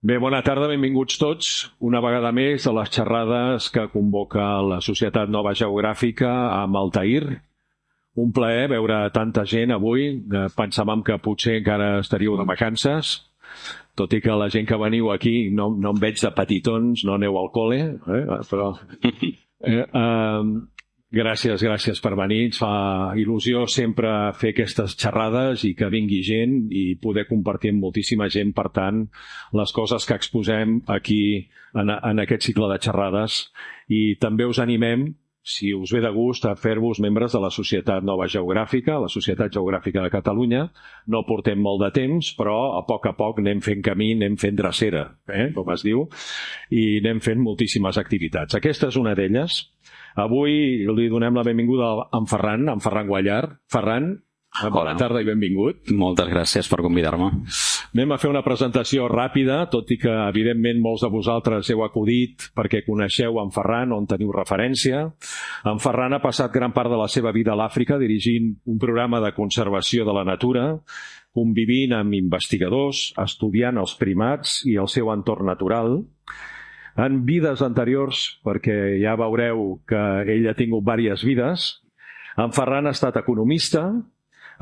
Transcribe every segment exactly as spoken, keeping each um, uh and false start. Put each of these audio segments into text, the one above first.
Bé, bona tarda, benvinguts tots una vegada més a les xerrades que convoca la Societat Nova Geogràfica amb Altair. Un plaer veure tanta gent avui. Pensàvem que potser encara estaríeu de vacances, tot i que la gent que veniu aquí no, no em veig de petitons, no aneu al col·le, eh? però... Eh, eh, gràcies, gràcies per venir. Ens fa il·lusió sempre fer aquestes xerrades i que vingui gent i poder compartir amb moltíssima gent, per tant, les coses que exposem aquí en, en aquest cicle de xerrades. I també us animem, si us ve de gust, a fer-vos membres de la Societat Nova Geogràfica, la Societat Geogràfica de Catalunya. No portem molt de temps, però a poc a poc anem fent camí, anem fent drecera, eh, com es diu, i anem fent moltíssimes activitats. Aquesta és una d'elles. Avui li donem la benvinguda a en Ferran, en Ferran Guallar. Ferran, bona tarda i benvingut. Moltes gràcies per convidar-me. Anem a fer una presentació ràpida, tot i que, evidentment, molts de vosaltres heu acudit perquè coneixeu en Ferran, on teniu referència. En Ferran ha passat gran part de la seva vida a l'Àfrica dirigint un programa de conservació de la natura, convivint amb investigadors, estudiant els primats i el seu entorn natural. En vides anteriors, perquè ja veureu que ell ha tingut diverses vides, en Ferran ha estat economista,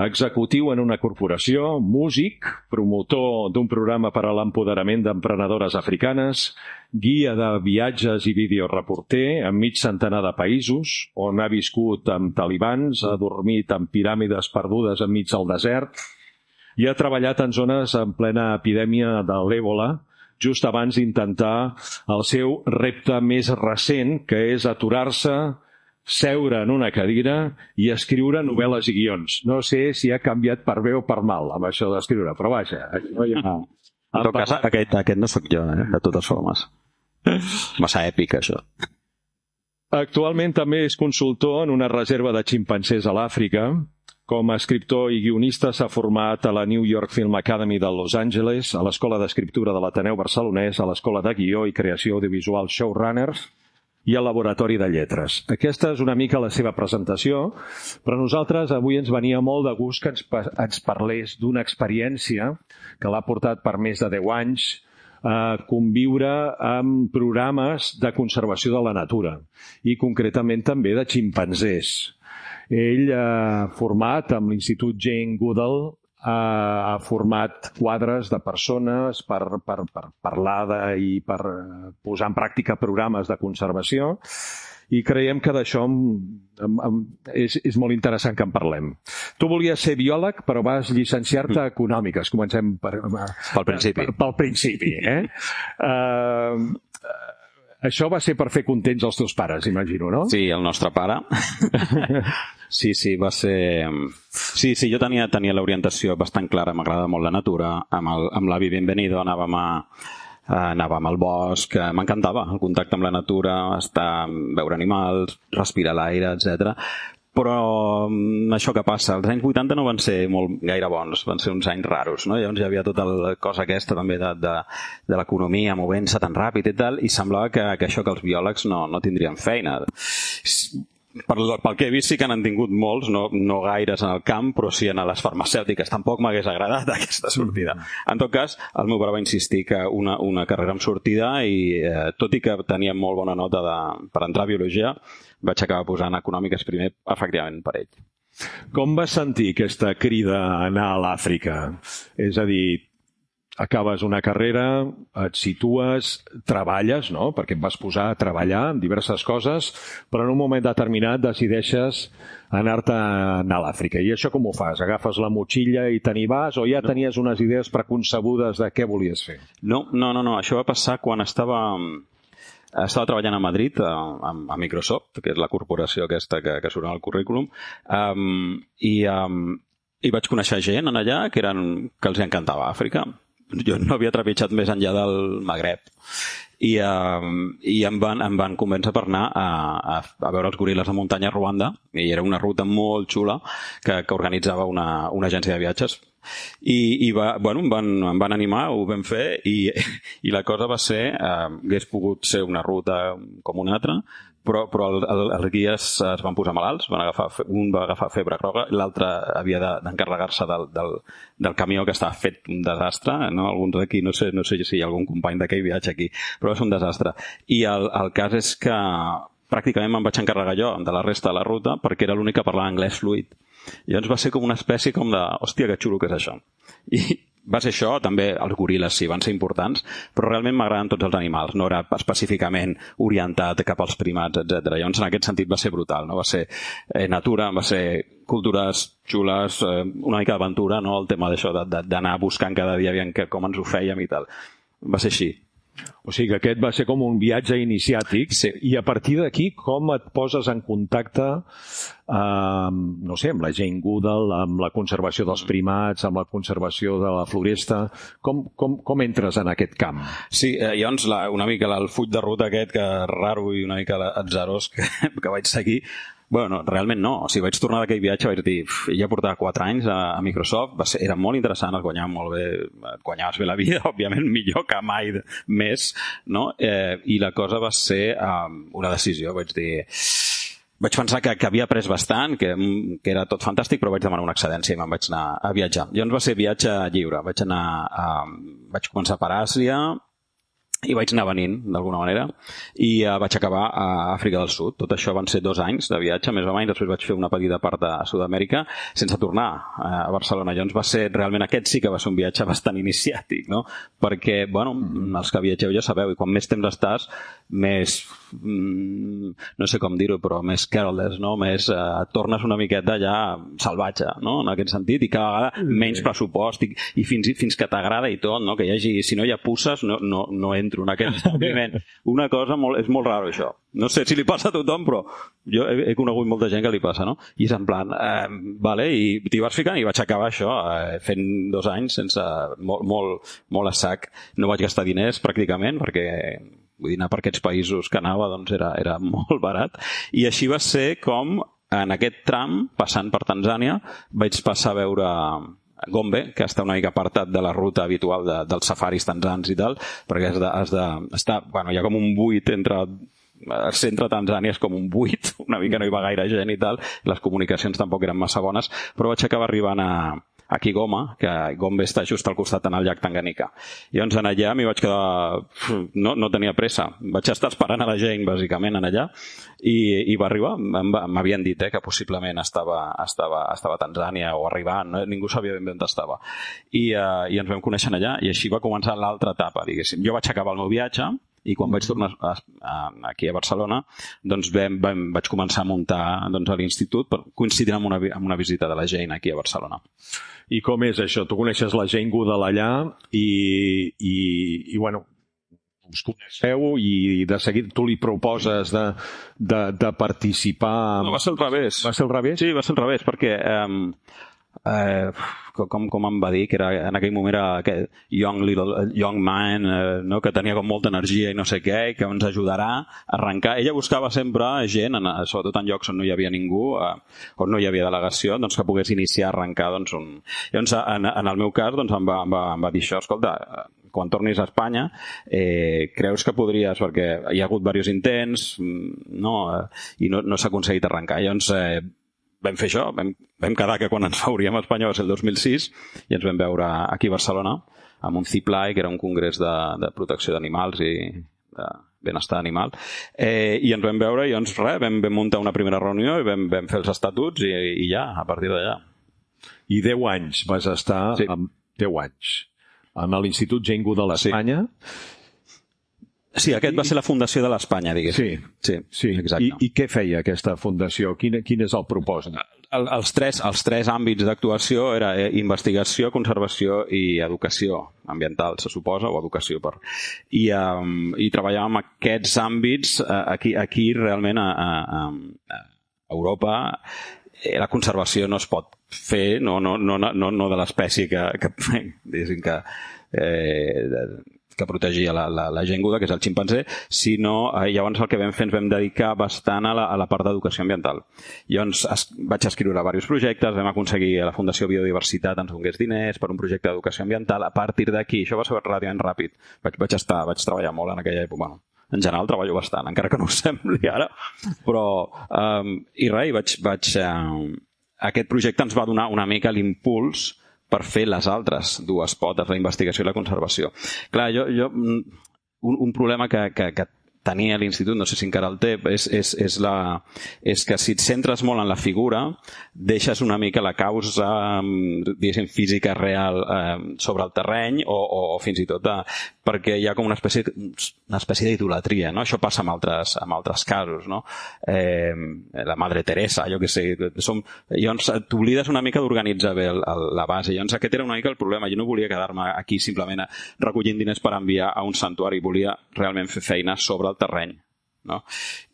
executiu en una corporació, músic, promotor d'un programa per a l'empoderament d'emprenedores africanes, guia de viatges i videoreporter en mig centenar de països, on ha viscut amb talibans, ha dormit en piràmides perdudes enmig del desert i ha treballat en zones en plena epidèmia de l'Èbola, just abans d'intentar el seu repte més recent, que és aturar-se, seure en una cadira i escriure novel·les i guions. No sé si ha canviat per bé o per mal amb això d'escriure, però vaja. No hi ha... En tot cas, aquest, aquest no sóc jo, eh? De totes formes. Massa èpic, això. Actualment també és consultor en una reserva de ximpanzés a l'Àfrica. Com a escriptor i guionista s'ha format a la New York Film Academy de Los Angeles, a l'Escola d'Escriptura de l'Ateneu Barcelonès, a l'Escola de Guió i Creació Audiovisual Showrunners i al Laboratori de Lletres. Aquesta és una mica la seva presentació, però nosaltres avui ens venia molt de gust que ens, ens parlés d'una experiència que l'ha portat per més de deu anys a conviure amb programes de conservació de la natura i concretament també de ximpanzés. Ell ha format amb l'Institut Jane Goodall, ha format quadres de persones per, per, per parlar de, i per posar en pràctica programes de conservació i creiem que d'això és, és molt interessant que en parlem. Tu volies ser biòleg, però vas llicenciar-te a Econòmiques. Comencem per, pel principi. Per, pel principi, eh? Uh, Això va ser per fer contents els teus pares, imagino, no? Sí, el nostre pare. Sí, sí, va ser... Sí, sí, jo tenia, tenia l'orientació bastant clara, m'agrada molt la natura. Amb, el, amb l'avi Benvenido anàvem, a, anàvem al bosc, m'encantava el contacte amb la natura, estar, veure animals, respirar l'aire, etcètera. Però això que passa, els anys vuitanta no van ser molt gaire bons, van ser uns anys raros, no? Llavors hi havia tota la cosa aquesta també de, de, de l'economia movent-se tan ràpid i tal, i semblava que, que això que els biòlegs no, no tindrien feina. Per, pel que he vist sí que n'han tingut molts, no, no gaires en el camp, però sí en les farmacèutiques. Tampoc m'hagués agradat aquesta sortida. En tot cas, el meu pare va insistir que una, una carrera amb sortida i eh, tot i que tenia molt bona nota de, per entrar a biologia, vaig acabar posant Econòmiques primer, efectivament, per ell. Com vas sentir aquesta crida a anar a l'Àfrica? És a dir, acabes una carrera, et situes, treballes, no? Perquè et vas posar a treballar en diverses coses, però en un moment determinat decideixes anar-te a anar a l'Àfrica. I això com ho fas? Agafes la motxilla i te n'hi vas o ja no. Tenies unes idees preconcebudes de què volies fer? No, no, no, no. Això va passar quan estava... Estava treballant a Madrid, a, a Microsoft, que és la corporació aquesta que, que surt en el currículum, um, i, um, i vaig conèixer gent en allà que, eren, que els encantava Àfrica. Jo no havia trepitjat més enllà del Magreb. I, um, i em, van, em van convèncer per anar a, a, a veure els goril·les de muntanya a Ruanda, i era una ruta molt xula que, que organitzava una, una agència de viatges. I, i va, bueno, em van, em van animar, ho vam fer, i, i la cosa va ser, eh, hagués pogut ser una ruta com una altra, però, però el, el, els guies es van posar malalts, van agafar, un va agafar febre groga, l'altre havia de, d'encarregar-se del, del, del camió, que estava fet un desastre, no? Alguns d'aquí, no sé, no sé si hi ha algun company d'aquell viatge aquí, però és un desastre. I el, el cas és que pràcticament me'n vaig encarregar jo de la resta de la ruta, perquè era l'únic que parlava anglès fluid. I llavors va ser com una espècie com de, hòstia, que xulo que és això. I va ser això, també els goril·les sí, van ser importants, però realment m'agraden tots els animals, no era específicament orientat cap als primats, etcètera. Llavors, en aquest sentit va ser brutal, no? Va ser eh, natura, va ser cultures xules, eh, una mica d'aventura, no? El tema d'això, d'anar buscant cada dia aviam com ens ho fèiem i tal. Va ser així. O sigui que aquest va ser com un viatge iniciàtic, sí. I a partir d'aquí com et poses en contacte amb, no sé, amb la Jane Goodall, amb la conservació dels primats, amb la conservació de la floresta, com, com, com entres en aquest camp? Sí, eh, llavors la, una mica el full de ruta aquest, que raro i una mica atzarós que, que vaig seguir. Bueno, realment no. O sigui, vaig tornar d'aquell viatge, vaig dir, ja portava quatre anys a, a Microsoft, va ser, era molt interessant, es guanyava molt bé, et guanyaves bé la vida, òbviament millor que mai més, no? Eh, I la cosa va ser um, una decisió, vaig dir... Vaig pensar que, que havia après bastant, que, que era tot fantàstic, però vaig demanar una excedència i me'n vaig anar a viatjar. Llavors va ser viatge lliure. Vaig anar a, vaig començar per Àsia, i vaig anar venint, d'alguna manera, i uh, vaig acabar a Àfrica del Sud. Tot això van ser dos anys de viatge, més o menys. Després vaig fer una petita part de Sud-amèrica sense tornar a Barcelona. Llavors va ser, realment, aquest sí que va ser un viatge bastant iniciàtic, no? Perquè, bueno, els que viatgeu ja sabeu, i quan més temps estàs, més, mm, no sé com dir-ho, però més careless, no? Més, eh, et tornes una miqueta ja salvatge, no? En aquest sentit, i cada vegada menys pressupost, i, i fins, fins que t'agrada i tot, no? Que hi hagi, si no hi ha pusses, no, no, no entro en aquest establiment. Una cosa molt, és molt raro, això. No sé si li passa a tothom, però jo he, he conegut molta gent que li passa, no? I és en plan, eh, vale, i t'hi vas ficant i vaig acabar això, eh, fent dos anys sense, molt, molt, molt a sac. No vaig gastar diners, pràcticament, perquè vull dir, anar per aquests països que anava, doncs era, era molt barat. I així va ser com, en aquest tram, passant per Tanzània, vaig passar a veure Gombe, que està una mica apartat de la ruta habitual de, dels safaris tanzans i tal, perquè has de, has de estar, bueno, hi ha com un buit entre el centre de Tanzània, és com un buit, una mica no hi va gaire gent i tal, les comunicacions tampoc eren massa bones, però vaig acabar arribant a, a Kigoma, que Gombe està just al costat en el llac Tanganyika. I llavors en allà m'hi vaig quedar, no, no tenia pressa, vaig estar esperant a la Jane bàsicament en allà, i, i va arribar, m'havien dit eh, que possiblement estava, estava, estava a Tanzània o arribant, no? Ningú sabia ben bé on estava, i, uh, i ens vam conèixer allà, i així va començar l'altra etapa, diguéssim. Jo vaig acabar el meu viatge, i quan vaig tornar a, a, aquí a Barcelona, doncs vam, vam, vaig començar a muntar doncs, a l'institut, coincidint amb una, amb una visita de la Jane aquí a Barcelona. I com és això? Tu coneixes la Jane Goodall allà i, i, i bueno, us coneixeu i de seguit tu li proposes de, de, de participar... No, va ser al revés. Va ser al revés? Sí, va ser al revés, perquè... Eh, eh, com, com em va dir, que era, en aquell moment era aquest young, little, young man, eh, no? Que tenia com molta energia i no sé què, i que ens ajudarà a arrencar. Ella buscava sempre gent, en, sobretot en llocs on no hi havia ningú, eh, on no hi havia delegació, doncs que pogués iniciar a arrencar doncs, un... Llavors, en, en el meu cas, doncs, em, va, em, va, em va dir això, escolta, quan tornis a Espanya, eh, creus que podries, perquè hi ha hagut diversos intents, no? Eh, i no, no s'ha aconseguit arrencar. Llavors, eh, vam fer això, vam, vam quedar que quan ens veuríem a Espanya va ser el dos mil sis i ens vam veure aquí a Barcelona amb un CIPLAI, que era un congrés de, de protecció d'animals i de benestar animal, eh, i ens vam veure i doncs res, vam, vam muntar una primera reunió i vam, vam fer els estatuts i, i ja, a partir d'allà. I deu anys vas estar, sí. amb deu anys, amb l'Institut Jane Goodall a Espanya. Sí. Sí, aquest va ser la fundació de l'Espanya, diguéssim. Sí, sí, sí. Exacte. I, I què feia aquesta fundació? Quin, quin és el propòsit? El, els, tres, els tres àmbits d'actuació era investigació, conservació i educació ambiental, se suposa, o educació. Per... I, um, i treballàvem aquests àmbits uh, aquí, aquí realment a, a, a Europa. La conservació no es pot fer, no, no, no, no, no de l'espècie que, que, que, que eh, que protegia la, la, la gent guda, que és el ximpanzé, sinó eh, llavors el que vam fer ens vam dedicar bastant a la, a la part d'educació ambiental. Llavors es, vaig escriure diversos projectes, vam aconseguir a la Fundació Biodiversitat ens donés diners per un projecte d'educació ambiental. A partir d'aquí, això va ser relativament ràpid. Vaig, vaig, estar, vaig treballar molt en aquella època. Bueno, en general treballo bastant, encara que no ho sembli ara, però um, i res, vaig, vaig, uh, aquest projecte ens va donar una mica l'impuls per fer les altres dues potes, la investigació i la conservació. Clar, jo, jo un, un problema que, que, que tenia a l'institut, no sé si encara el té, és, és, és, la, és que si et centres molt en la figura, deixes una mica la causa, diguéssim, física real eh, sobre el terreny o, o, o fins i tot eh, perquè hi ha com una espècie, una espècie d'idolatria, no? Això passa amb altres, amb altres casos, no? Eh, la Madre Teresa, jo què sé, som, llavors t'oblides una mica d'organitzar bé el, el, la base. Llavors aquest era una mica el problema. Jo no volia quedar-me aquí simplement recollint diners per enviar a un santuari, volia realment fer feina sobre el terreny, no?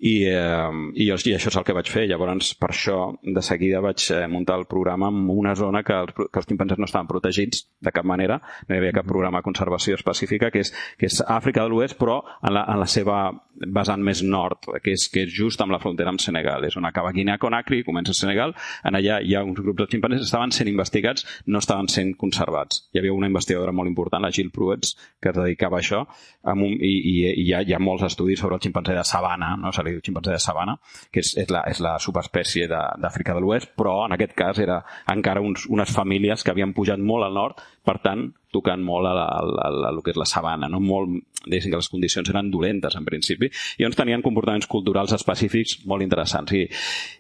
I, eh, i, jo, i això és el que vaig fer. Llavors, per això, de seguida vaig muntar el programa en una zona que els, que els ximpanzés no estaven protegits de cap manera, no hi havia cap programa de conservació específica, que és, que és Àfrica de l'Oest, però en la, en la seva vessant més nord, que és, que és just amb la frontera amb Senegal. És on acaba Guinea-Conakry, comença Senegal, en allà hi ha uns grups de ximpanzés que estaven sent investigats, no estaven sent conservats. Hi havia una investigadora molt important, la Jill Pruets, que es dedicava a això, amb un, i, i, i hi, ha, hi ha molts estudis sobre el ximpanzé de sabana, no? Se li diu ximpanzé de sabana, que és, és, la, és la subespècie d'Àfrica de, de l'Oest, però en aquest cas era encara uns, unes famílies que havien pujat molt al nord, per tant, tocant molt a, la, a, la, a lo que és la sabana, no? Molt, que les condicions eren dolentes en principi, i llavors tenien comportaments culturals específics molt interessants. I,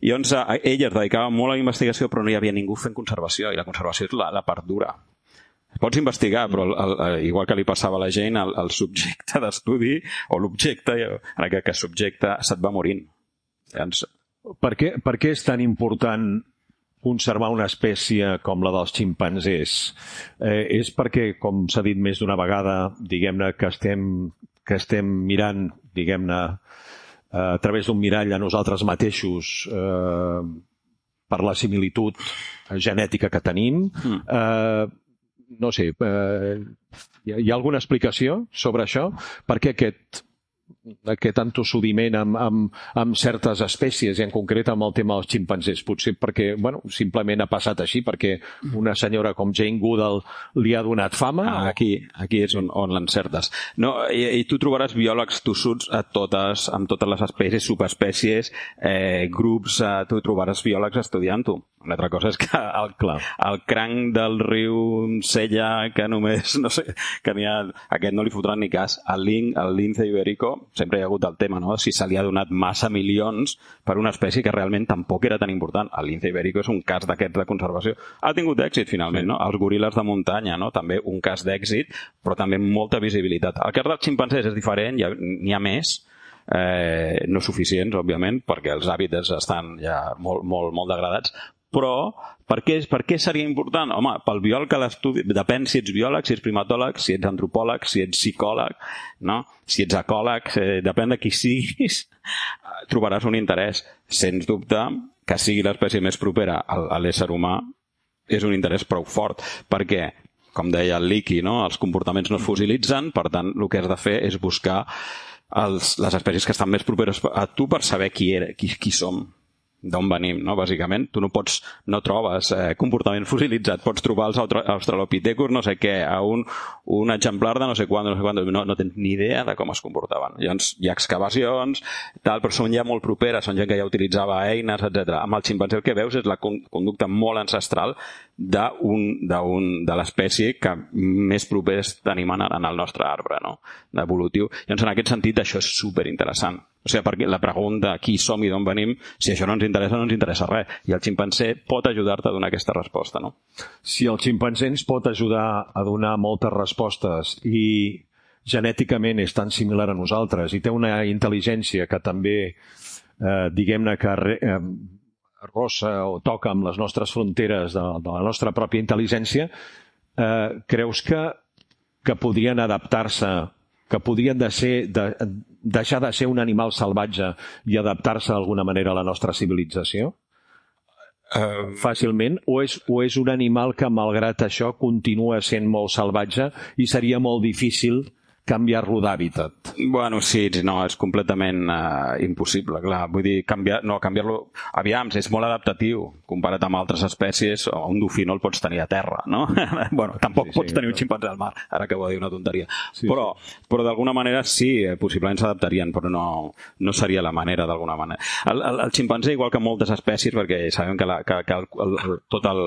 i llavors ella es dedicava molt a la investigació, però no hi havia ningú fent conservació, i la conservació és la, la part dura. Pots investigar, però el, el, igual que li passava a la gent, el, el subjecte d'estudi, o l'objecte, en aquest cas subjecte, se't va morint. Llavors... Per què, per què és tan important conservar una espècie com la dels ximpanzés? Eh, és perquè, com s'ha dit més d'una vegada, diguem-ne que estem, que estem mirant, diguem-ne, eh, a través d'un mirall a nosaltres mateixos, eh, per la similitud genètica que tenim. Mm. Eh, no sé, eh, hi, ha, hi ha alguna explicació sobre això? Per què aquest... aquest entossudiment amb, amb, amb certes espècies, i en concret amb el tema dels ximpanzés? Potser perquè, bueno, simplement ha passat així, perquè una senyora com Jane Goodall li ha donat fama? Ah, aquí, aquí és on, on l'encertes. No, i, i tu trobaràs biòlegs tossuts a totes, amb totes les espècies, subespècies, eh, grups, eh, tu trobaràs biòlegs estudiant-ho. Una altra cosa és que el, el cranc del riu Sella, que només, no sé, que n'hi ha, aquest no li fotran ni cas. El, lin, el lince ibérico, sempre hi ha hagut el tema, no? Si se li ha donat massa milions per una espècie que realment tampoc era tan important. El lince ibérico és un cas d'aquests de conservació. Ha tingut èxit, finalment, sí. No? Els goril·les de muntanya, no? També un cas d'èxit, però també molta visibilitat. El cas dels ximpanzés és diferent, n'hi ha més, eh, no suficients, òbviament, perquè els hàbitats estan ja molt, molt, molt degradats, però per què, per què seria important? Home, pel biòleg que l'estudi, depèn si ets biòleg, si ets primatòleg, si ets antropòleg, si ets psicòleg, no? Si ets ecòleg, eh, depèn de qui siguis, trobaràs un interès. Sens dubte, que sigui l'espècie més propera a l'ésser humà és un interès prou fort, perquè, com deia el Leakey, no? Els comportaments no es fossilitzen, per tant, el que has de fer és buscar els, les espècies que estan més properes a tu per saber qui, era, qui, qui som, d'on venim, no? Bàsicament. Tu no pots, no trobes eh, comportament fossilitzat, pots trobar els australopithecus, no sé què, a un, un exemplar de no sé quant, no sé quant, no, no tens ni idea de com es comportaven. Llavors hi ha excavacions, tal, però són ja molt properes, són gent que ja utilitzava eines, etcètera. Amb el ximpanzé el que veus és la conducta molt ancestral d'un, d'un, de l'espècie que més propers tenim en el nostre arbre, no? D'evolutiu. Llavors, en aquest sentit, això és superinteressant. O sigui, perquè la pregunta qui som i d'on venim, si això no ens interessa, no ens interessa res. I el ximpanzé pot ajudar-te a donar aquesta resposta, no? Si el ximpanzé ens pot ajudar a donar moltes respostes i genèticament és tan similar a nosaltres i té una intel·ligència que també, eh, diguem-ne que eh, rossa o toca amb les nostres fronteres de, de la nostra pròpia intel·ligència, eh, creus que, que podrien adaptar-se, que podrien de ser, de, deixar de ser un animal salvatge i adaptar-se d'alguna manera a la nostra civilització? Uh, fàcilment? O és, o és un animal que, malgrat això, continua sent molt salvatge i seria molt difícil canviar-lo d'hàbitat. Bueno, sí, no, és completament uh, impossible, clar. Vull dir, canviar, no, canviar-lo... Aviam, és molt adaptatiu comparat amb altres espècies. Un dofí no el pots tenir a terra, no? Bueno, tampoc sí, sí, pots tenir un ximpanzé al mar, ara que ho dir una tonteria. Sí, però, sí. però d'alguna manera sí, possiblement s'adaptarien, però no, no seria la manera d'alguna manera. El, el, el ximpanzé, igual que moltes espècies, perquè sabem que, la, que, que el, el, tot el...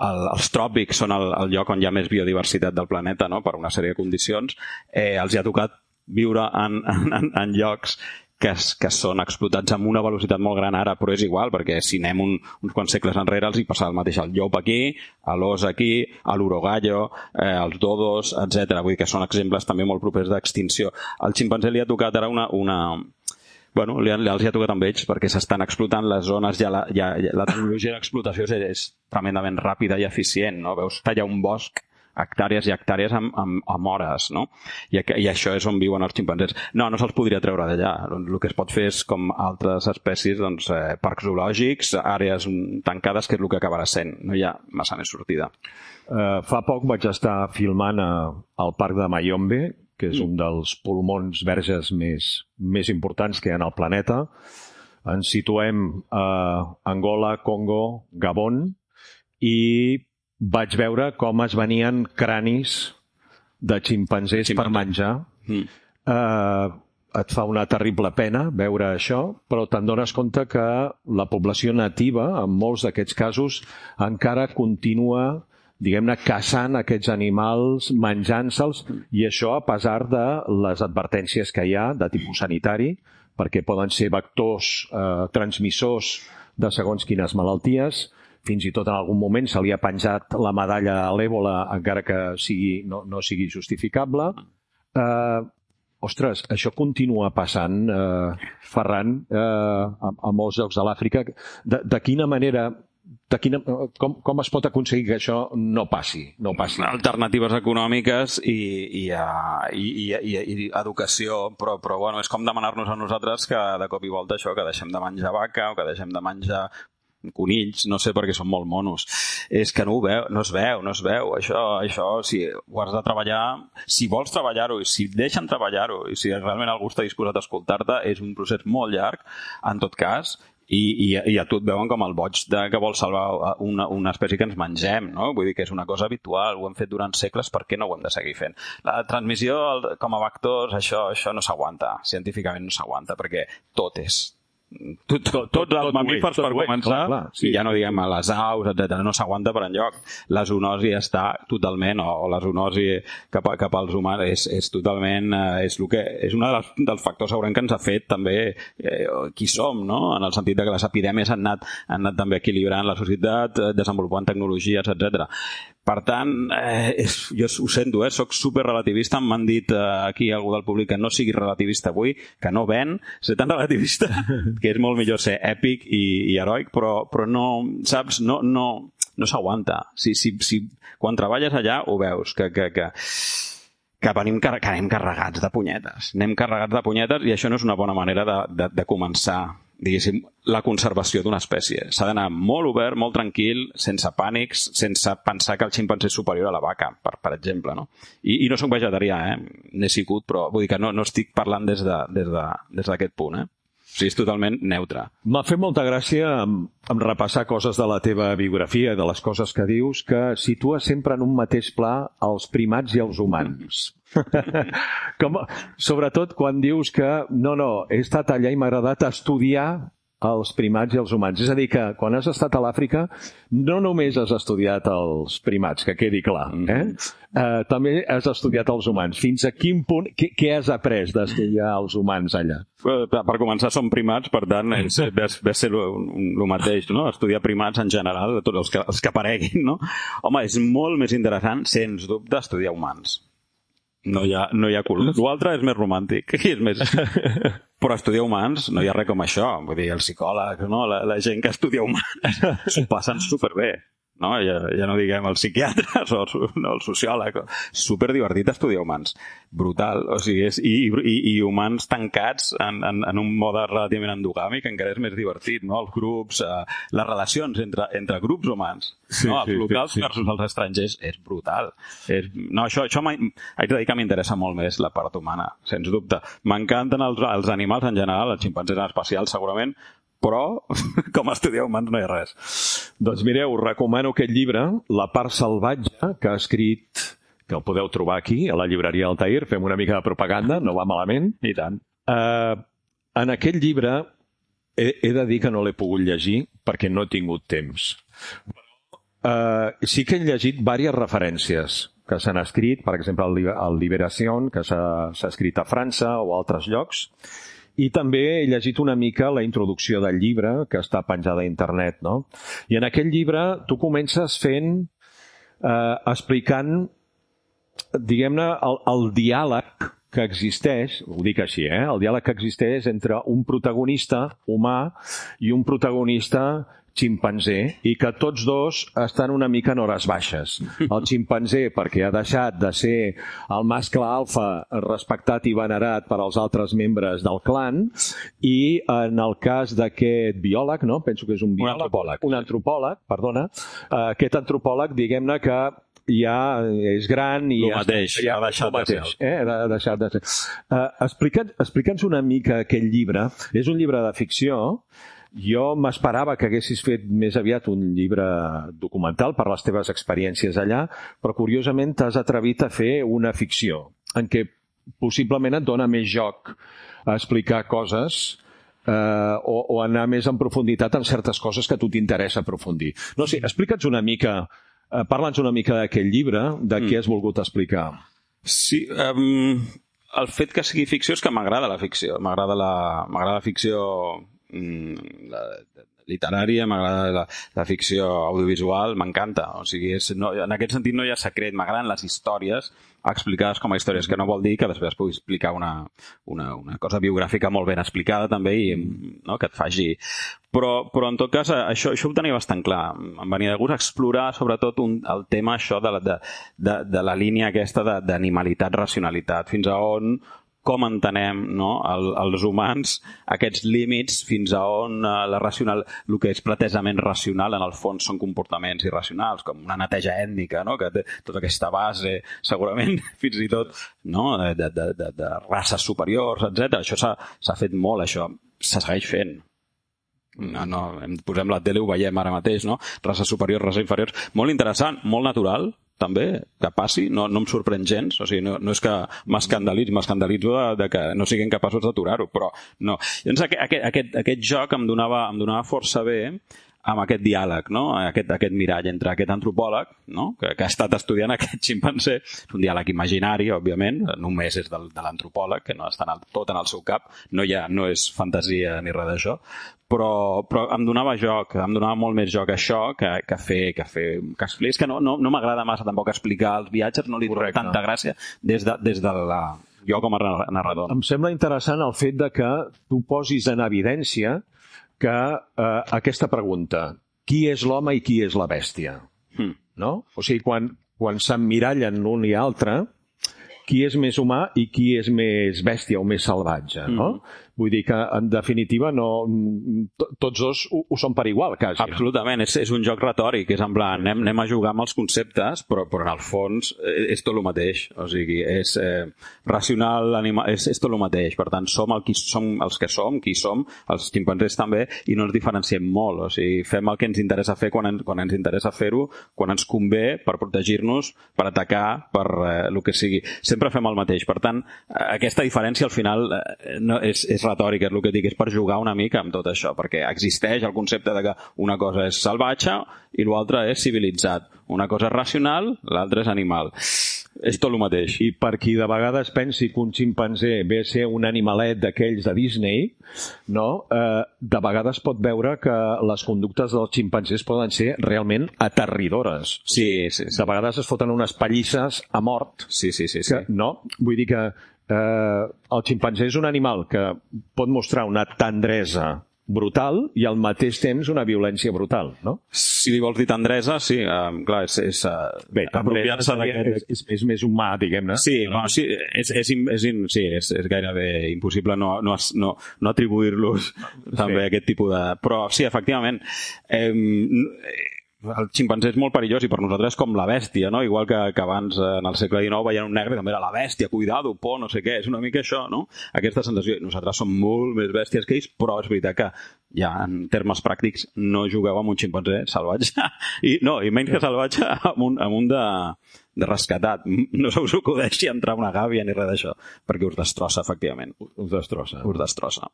El, els tròpics són el, el lloc on hi ha més biodiversitat del planeta, no? Per una sèrie de condicions, eh, els hi ha tocat viure en, en, en llocs que, que són explotats amb una velocitat molt gran ara, però és igual, perquè si anem un, uns quants segles enrere els hi passava el mateix al llop aquí, a l'os aquí, a l'urogallo, eh, als dodos, etcètera. Vull dir que són exemples també molt propers d'extinció. Al ximpanzé li ha tocat ara una... una Bueno, li, els hi ha tocat amb ells perquè s'estan explotant les zones, ja la, ja, la tecnologia d'explotació és, és tremendament ràpida i eficient, no? Veus tallar un bosc, hectàrees i hectàrees amb, amb, amb hores, no? I, I això és on viuen els ximpanzés. No, no se'ls podria treure d'allà. El que es pot fer és, com altres espècies, doncs, eh, parcs zoològics, àrees tancades, que és el que acabarà sent. No hi ha massa més sortida. Uh, fa poc vaig estar filmant a, al parc de Mayombe, que és un dels pulmons verges més, més importants que hi ha al planeta. Ens situem a Angola, Congo, Gabon, i vaig veure com es venien cranis de ximpanzés Ximpanzé. per menjar. Mm. Uh, et fa una terrible pena veure això, però te'n dones compte que la població nativa, en molts d'aquests casos, encara continua diguem-ne, caçant aquests animals, menjant-se'ls, i això a pesar de les advertències que hi ha de tipus sanitari, perquè poden ser vectors eh, transmissors de segons quines malalties. Fins i tot en algun moment se li ha penjat la medalla a l'èbola, encara que sigui, no, no sigui justificable. Eh, ostres, això continua passant, eh, Ferran, eh, a, a molts llocs de l'Àfrica. De, de quina manera... De quina, com, com es pot aconseguir que això no passi? No passi? Alternatives econòmiques i, i, i, i, i, i educació, però, però bueno, és com demanar-nos a nosaltres que de cop i volta això, que deixem de menjar vaca o que deixem de menjar conills, no sé, perquè són molt monos. És que no ho veu, no es veu, no es veu. Això, això si ho has de treballar, si vols treballar-ho i si et deixen treballar-ho i si realment algú està disposat a escoltar-te, és un procés molt llarg, en tot cas. I, i, i a tu et veuen com el boig de, que vol salvar una, una espècie que ens mengem, no? Vull dir que és una cosa habitual, ho hem fet durant segles, per què no ho hem de seguir fent? La transmissió com a vectors, això, això no s'aguanta, científicament no s'aguanta, perquè tot és... Tot, tot, tots els mamífers, per començar, clar, clar, sí. I ja no diguem a les aus, etcètera, no s'aguanta per enlloc. La zoonosi està totalment, o, o la zoonosi cap, a, cap als humans és, és totalment, és, el que, és un dels, dels factors segurament que ens ha fet també eh, qui som, no? En el sentit de que les epidèmies han anat, han anat també equilibrant la societat, desenvolupant tecnologies, etcètera. Per tant, eh, és, jo ho sento, eh, soc superrelativista, m'han dit eh, aquí algú del públic que no sigui relativista avui, que no ven, ser tan relativista, que és molt millor ser èpic i, i heroic, però, però no, saps, no, no, no s'aguanta. Si, si, si, quan treballes allà ho veus, que, que, que, que, venim, que anem carregats de punyetes. Anem carregats de punyetes i això no és una bona manera de, de, de començar, diguéssim, la conservació d'una espècie. S'ha d'anar molt obert, molt tranquil, sense pànics, sense pensar que el ximpanzé és superior a la vaca, per, per exemple, no? I, i no soc vegetarià, eh? N'he sigut, però vull dir que no, no estic parlant des de, des de, des d'aquest punt, eh? O sigui, és totalment neutre. M'ha fet molta gràcia en, en repassar coses de la teva biografia, de les coses que dius, que situa sempre en un mateix pla els primats i els humans. Com, sobretot quan dius que no, no, he estat allà i m'ha agradat estudiar els primats i els humans. És a dir, que quan has estat a l'Àfrica no només has estudiat els primats, que quedi clar, eh? Eh, també has estudiat els humans. Fins a quin punt, què, què has après d'estudiar els humans allà? Per començar, som primats, per tant, ve a ser el mateix, no? Estudiar primats en general, tots els que, els que apareguin, no? Home, és molt més interessant, sens dubte, estudiar humans. No hi ha, no hi ha cul. L'altre és més romàntic. És més... Però estudiar humans no hi ha res com això. Vull dir, els psicòlegs, no? la, la gent que estudia humans s'ho passen superbé. no? Ja, ja no diguem els psiquiatres o el, no, el sociòleg. Super divertit estudiar humans. Brutal. O sigui, és, i, i, i humans tancats en, en, en un mode relativament endogàmic encara és més divertit, no? Els grups, eh, les relacions entre, entre grups humans, sí, no? Els sí, locals sí, sí. versus els estrangers, és brutal. És, no, això, això haig de dir que m'interessa molt més la part humana, sens dubte. M'encanten els, els animals en general, els ximpanzés en especial segurament, però com a estudiar humans no hi ha res. Doncs mireu, us recomano aquest llibre, La part salvatge, que ha escrit, que el podeu trobar aquí, a la llibreria Altair, fem una mica de propaganda, no va malament. I tant. Uh, en aquest llibre he, he de dir que no l'he pogut llegir perquè no he tingut temps. Uh, sí que he llegit diverses referències que s'han escrit, per exemple, el Libération, que s'ha escrit a França o a altres llocs, i també he llegit una mica la introducció del llibre, que està penjada a internet, no? I en aquest llibre tu comences fent, eh, explicant, diguem-ne, el, el diàleg que existeix, ho dic així, eh? El diàleg que existeix entre un protagonista humà i un protagonista ximpanzé, i que tots dos estan una mica en hores baixes. El ximpanzé perquè ha deixat de ser el mascle alfa respectat i venerat per als altres membres del clan, i en el cas d'aquest biòleg, no? Penso que és un biòleg, un antropòleg, un antropòleg, perdona, aquest antropòleg, diguem-ne que ja és gran i el mateix, ja, ha deixat de ser. Eh? Ha deixat de ser. Uh, Explica'ns explica'ns una mica aquest llibre. És un llibre de ficció. Jo m'esperava que haguessis fet més aviat un llibre documental per les teves experiències allà, però curiosament t'has atrevit a fer una ficció en què possiblement et dona més joc a explicar coses eh, o, o anar més en profunditat en certes coses que a tu t'interessa aprofundir. No sé, explica'ns una mica, eh, parla'ns una mica d'aquest llibre, de què has volgut explicar. Sí, um, el fet que sigui ficció és que m'agrada la ficció, m'agrada la, m'agrada la ficció la literària, m'agrada la, la ficció audiovisual, m'encanta. O sigui, és, no, en aquest sentit no hi ha secret, m'agraden les històries explicades com a històries, que no vol dir que després pugui explicar una, una, una cosa biogràfica molt ben explicada també i no, que et faci... Però, però en tot cas això, això ho tenia bastant clar. Em venia de gust explorar sobretot un, el tema això de la, de, de, de la línia aquesta d'animalitat, racionalitat, fins a on com entenem, no, el, els humans aquests límits, fins a on uh, la racional, el que és pretesament racional en el fons són comportaments irracionals, com una neteja ètnica, no, que té tota aquesta base segurament fins i tot, no, de, de, de, de races superiors, etcètera. Això s'ha fet molt, això se segueix fent. No, no, posem la tele, ho veiem ara mateix, no? Races superiors, races inferiors, molt interessant, molt natural també, que passi, no, no em sorprèn gens, o sigui, no, no és que m'escandalitzo, m'escandalitzo de, de que no siguin capaços d'aturar-ho, però no. Llavors aquest, aquest, aquest, aquest joc em donava, em donava força bé amb aquest diàleg, no? aquest, aquest mirall entre aquest antropòleg, no? que, que ha estat estudiant aquest ximpanzé, és un diàleg imaginari, òbviament, només és del, de l'antropòleg, que no està en el, tot en el seu cap, no, hi ha, no és fantasia ni res d'això, però, però em donava joc, em donava molt més joc això que, que fer, que fer que expliqués, que no, no, no m'agrada massa tampoc explicar els viatges, no li dono tanta gràcia des de, des de la... jo com a narrador. Em sembla interessant el fet de que tu posis en evidència que eh, aquesta pregunta, qui és l'home i qui és la bèstia? Hmm. No? O sigui, quan, quan s'emmirallen l'un i l'altre, qui és més humà i qui és més bèstia o més salvatge, no? Mm. Vull dir que, en definitiva, no, tots dos ho, ho són per igual, quasi. Absolutament, és, és un joc retòric, és en plan, anem, anem a jugar amb els conceptes, però, però en el fons és tot el mateix, o sigui, és eh, racional, animal, és, és tot el mateix, per tant, som, el qui, som els que som, qui som, els ximpanzés també, i no ens diferenciem molt, o sigui, fem el que ens interessa fer quan, en, quan ens interessa fer-ho, quan ens convé, per protegir-nos, per atacar, per eh, el que sigui. Sempre fem el mateix, per tant, aquesta diferència al final eh, no, és, és retòrica, és el que dic, és per jugar una mica amb tot això, perquè existeix el concepte de que una cosa és salvatge i l'altra és civilitzat. Una cosa és racional, l'altra és animal. És tot el mateix. I per qui de vegades pensi que un ximpanzé ve a ser un animalet d'aquells de Disney, no? Eh, de vegades pot veure que les conductes dels ximpanzés poden ser realment aterridores. Sí, sí, sí. De vegades es foten unes pallisses a mort. Sí, sí, sí. Que, sí. No? Vull dir que eh, el ximpanzé és un animal que pot mostrar una tendresa brutal i al mateix temps una violència brutal, no? Si li vols dir tendresa, sí, um, clar, és... és uh, Bé, apropiar-se d'aquest... És, és més humà, diguem-ne. Sí, no, sí, és, és, és, sí és, és gairebé impossible no, no, no, no atribuir-los també sí. aquest tipus de... Però sí, efectivament, eh, el ximpanzé és molt perillós i per nosaltres és com la bèstia, no? Igual que, que abans en el segle dinou veien un negre també era la bèstia, cuidado, por, no sé què, és una mica això, no? Aquesta sensació. Nosaltres som molt més bèsties que ells, però és veritat que ja en termes pràctics no jugueu amb un ximpanzé salvatge i no, i menys que salvatge amb un, amb un de, de rescatat. No se us acudeixi entrar una gàbia ni res d'això, perquè us destrossa, efectivament. Us destrossa. Us destrossa.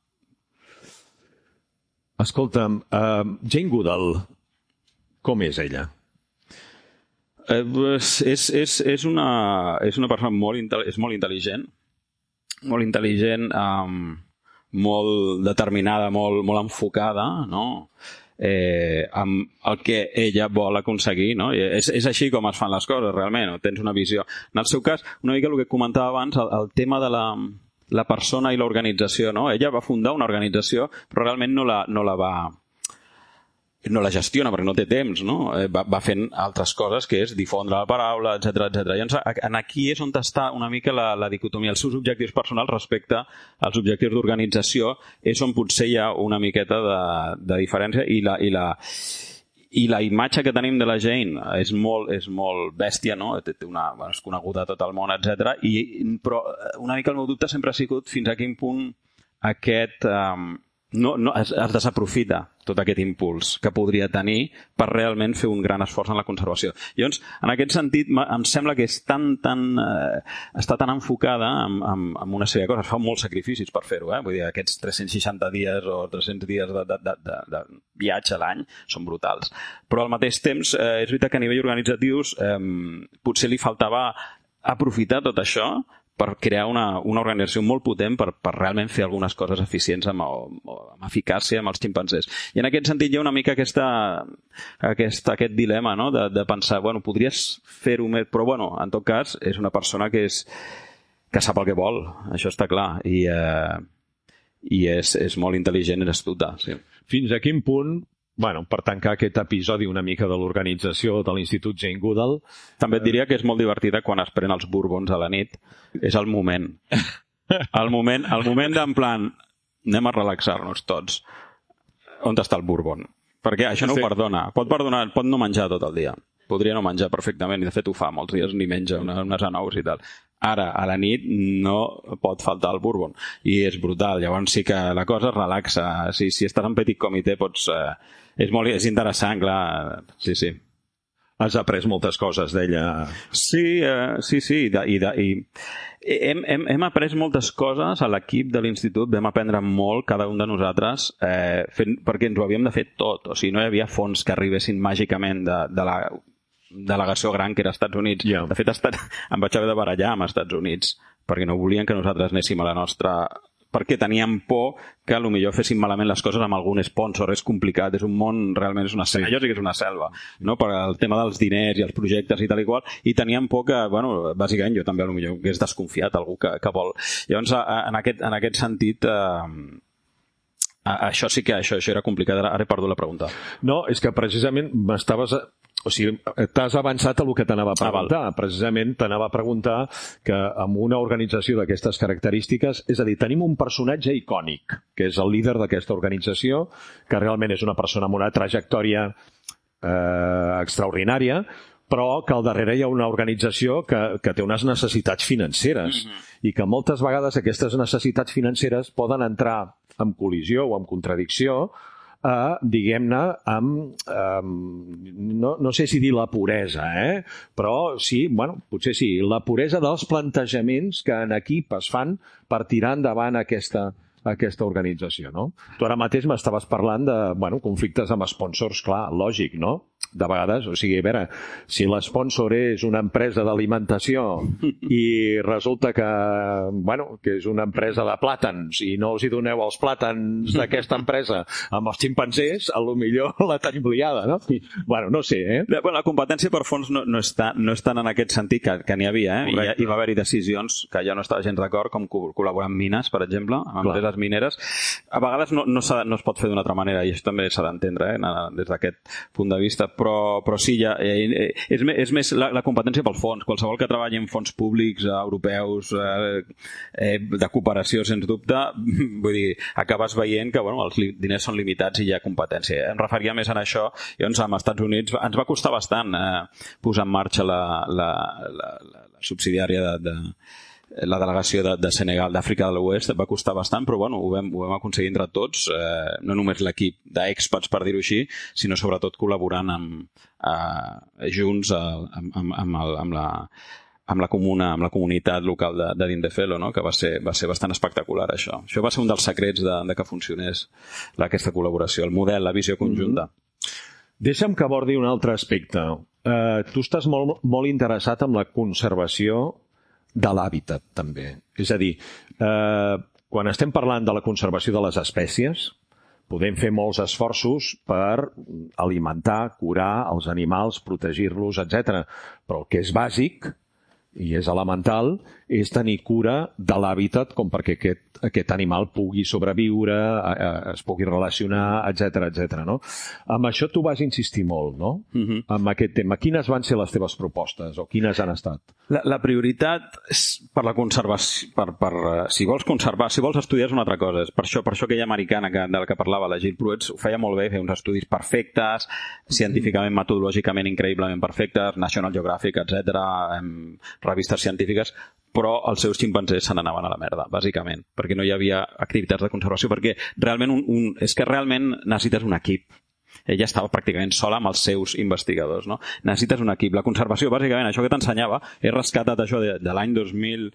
Escolta'm, uh, Jane Goodall, com és ella? Eh, és, és, és, una, és una persona molt, és molt intel·ligent, molt intel·ligent, um, molt determinada, molt, molt enfocada, no? Eh, amb el que ella vol aconseguir, no? I és, és així com es fan les coses, realment, no? Tens una visió. En el seu cas, una mica el que comentava abans, el, el tema de la, la persona i l'organització, no? Ella va fundar una organització, però realment no la, no la va... no la gestiona perquè no té temps, no? Va, va fent altres coses que és difondre la paraula, etcètera, etcètera. I en aquí és on està una mica la, la dicotomia. Els seus objectius personals respecte als objectius d'organització és on potser hi ha una miqueta de, de diferència i la, i la i la imatge que tenim de la Jane és molt, és molt bèstia, no? Té una, bueno, és coneguda a tot el món, etcètera. I, però una mica el meu dubte sempre ha sigut fins a quin punt aquest... Um, No, no, es, es desaprofita tot aquest impuls que podria tenir per realment fer un gran esforç en la conservació. Llavors, en aquest sentit, em sembla que és tan, tan, eh, està tan enfocada en, en, en una sèrie de coses. Fa molts sacrificis per fer-ho, eh? Vull dir, aquests tres-cents seixanta dies o tres-cents dies de, de, de, de, de viatge a l'any són brutals. Però al mateix temps, eh, és veritat que a nivell organitzatius eh, potser li faltava aprofitar tot això per crear una, una organització molt potent per, per realment fer algunes coses eficients amb, amb eficàcia amb els ximpanzés. I en aquest sentit hi ha una mica aquesta, aquesta, aquest dilema, no? de, de pensar, bueno, podries fer-ho més, però bueno, en tot cas és una persona que, és, que sap el que vol, això està clar, i, eh, i és, és molt intel·ligent i astuta. Sí. Fins a quin punt, bueno, per tancar aquest episodi una mica de l'organització de l'Institut Jane Goodall... També et diria que és molt divertida quan es pren els bourbons a la nit. És el moment. El moment, el moment d'en plan, anem a relaxar-nos tots. On està el bourbon? Perquè això no ho perdona. Pot perdonar, pot no menjar tot el dia. Podria no menjar perfectament, i de fet ho fa molts dies, ni menja unes, unes anous i tal. Ara, a la nit, no pot faltar el bourbon. I és brutal. Llavors sí que la cosa es relaxa. Si, si estàs en petit comitè, pots... Eh, és, molt, és interessant, clar. Sí, sí. Has après moltes coses d'ella. Sí, eh, sí, sí. I, de, i, de, i hem, hem, hem après moltes coses a l'equip de l'institut. Vam aprendre molt, cada un de nosaltres, eh, fent, perquè ens ho havíem de fer tot. O sigui, no hi havia fons que arribessin màgicament de, de la delegació gran que era als Estats Units. Yeah. De fet, estat, em vaig haver de barallar amb els Estats Units perquè no volien que nosaltres anéssim a la nostra... perquè teníem por que potser féssim malament les coses amb algun sponsor. És complicat, és un món, realment és una selva. Jo sí que és una selva, no? Per el tema dels diners i els projectes i tal i qual, i teníem por que, bueno, bàsicament jo també potser hagués desconfiat algú que, que vol. Llavors, en aquest, en aquest sentit, eh, això sí que això, això era complicat. Ara he perdut la pregunta. No, és que precisament m'estaves... O sigui, t'has avançat a el que t'anava a preguntar. Ah, precisament t'anava a preguntar que amb una organització d'aquestes característiques, és a dir, tenim un personatge icònic, que és el líder d'aquesta organització, que realment és una persona amb una trajectòria eh, extraordinària, però que al darrere hi ha una organització que, que té unes necessitats financeres, mm-hmm. i que moltes vegades aquestes necessitats financeres poden entrar en col·lisió o en contradicció Uh, diguem-ne, amb, um, no, no sé si dir la puresa, eh? Però sí, bueno, potser sí, la puresa dels plantejaments que en equip es fan per tirar endavant aquesta, aquesta organització, no? Tu ara mateix m'estaves parlant de, bueno, conflictes amb sponsors, clar, lògic, no? de vegades, o sigui, a veure, si l'esponsor és una empresa d'alimentació i resulta que, bueno, que és una empresa de plàtans i no els hi doneu els plàtans d'aquesta empresa amb els ximpanzés, a lo millor la tenim liada, no? I, bueno, no sé, eh? Bueno, la competència per fons no, no, està, no és tant en aquest sentit que, que n'hi havia, eh? I, I va haver-hi decisions que ja no estava gens d'acord, com col·laborar amb mines, per exemple, amb empreses Clar. mineres. A vegades no, no, no es pot fer d'una altra manera, i això també s'ha d'entendre, eh? des d'aquest punt de vista, però, però sí, ja, eh, és, és més la, la competència pel fons. Qualsevol que treballi en fons públics, eh, europeus, eh, eh, de cooperació, sens dubte, vull dir, acabes veient que bueno, els diners són limitats i hi ha competència. Em referia més a això, i doncs als Estats Units ens va costar bastant eh, posar en marxa la, la, la, la, la subsidiària de, de la delegació de, de Senegal, d'Àfrica de l'Oest, va costar bastant, però bueno, ho vam, ho vam aconseguir entre tots, eh, no només l'equip d'experts, per dir-ho així, sinó sobretot col·laborant amb, eh, junts eh, amb, amb, amb, el, amb, la, amb, la comuna, amb la comunitat local de, de Dindefelo, no? Que va ser, va ser bastant espectacular, això. Això va ser un dels secrets de, de que funcionés aquesta col·laboració, el model, la visió conjunta. Mm-hmm. Deixa'm que abordi un altre aspecte. Uh, tu estàs molt, molt interessat en la conservació de l'hàbitat, també. És a dir, eh, quan estem parlant de la conservació de les espècies, podem fer molts esforços per alimentar, curar els animals, protegir-los, etcètera. Però el que és bàsic, i és elemental, és tenir cura de l'hàbitat com perquè aquest, aquest animal pugui sobreviure, eh, es pugui relacionar, etcètera, etcètera, no? Amb això tu vas insistir molt, no? Uh-huh. Amb aquest tema. Quines van ser les teves propostes o quines han estat? La, la prioritat és per la conservació, per, per, si vols conservar, si vols estudiar és una altra cosa. És per això, per això aquella americana que, de la que parlava, la Jill Pruitt, ho feia molt bé, feia uns estudis perfectes, científicament, metodològicament increïblement perfectes, National Geographic, etcètera, revistes científiques, però els seus ximpanzés se n'anaven a la merda, bàsicament, perquè no hi havia activitats de conservació, perquè realment un, un, és que realment necessites un equip. Ella estava pràcticament sola amb els seus investigadors, no? Necessites un equip. La conservació, bàsicament, això que t'ensenyava, he rescatat això de, de l'any dos mil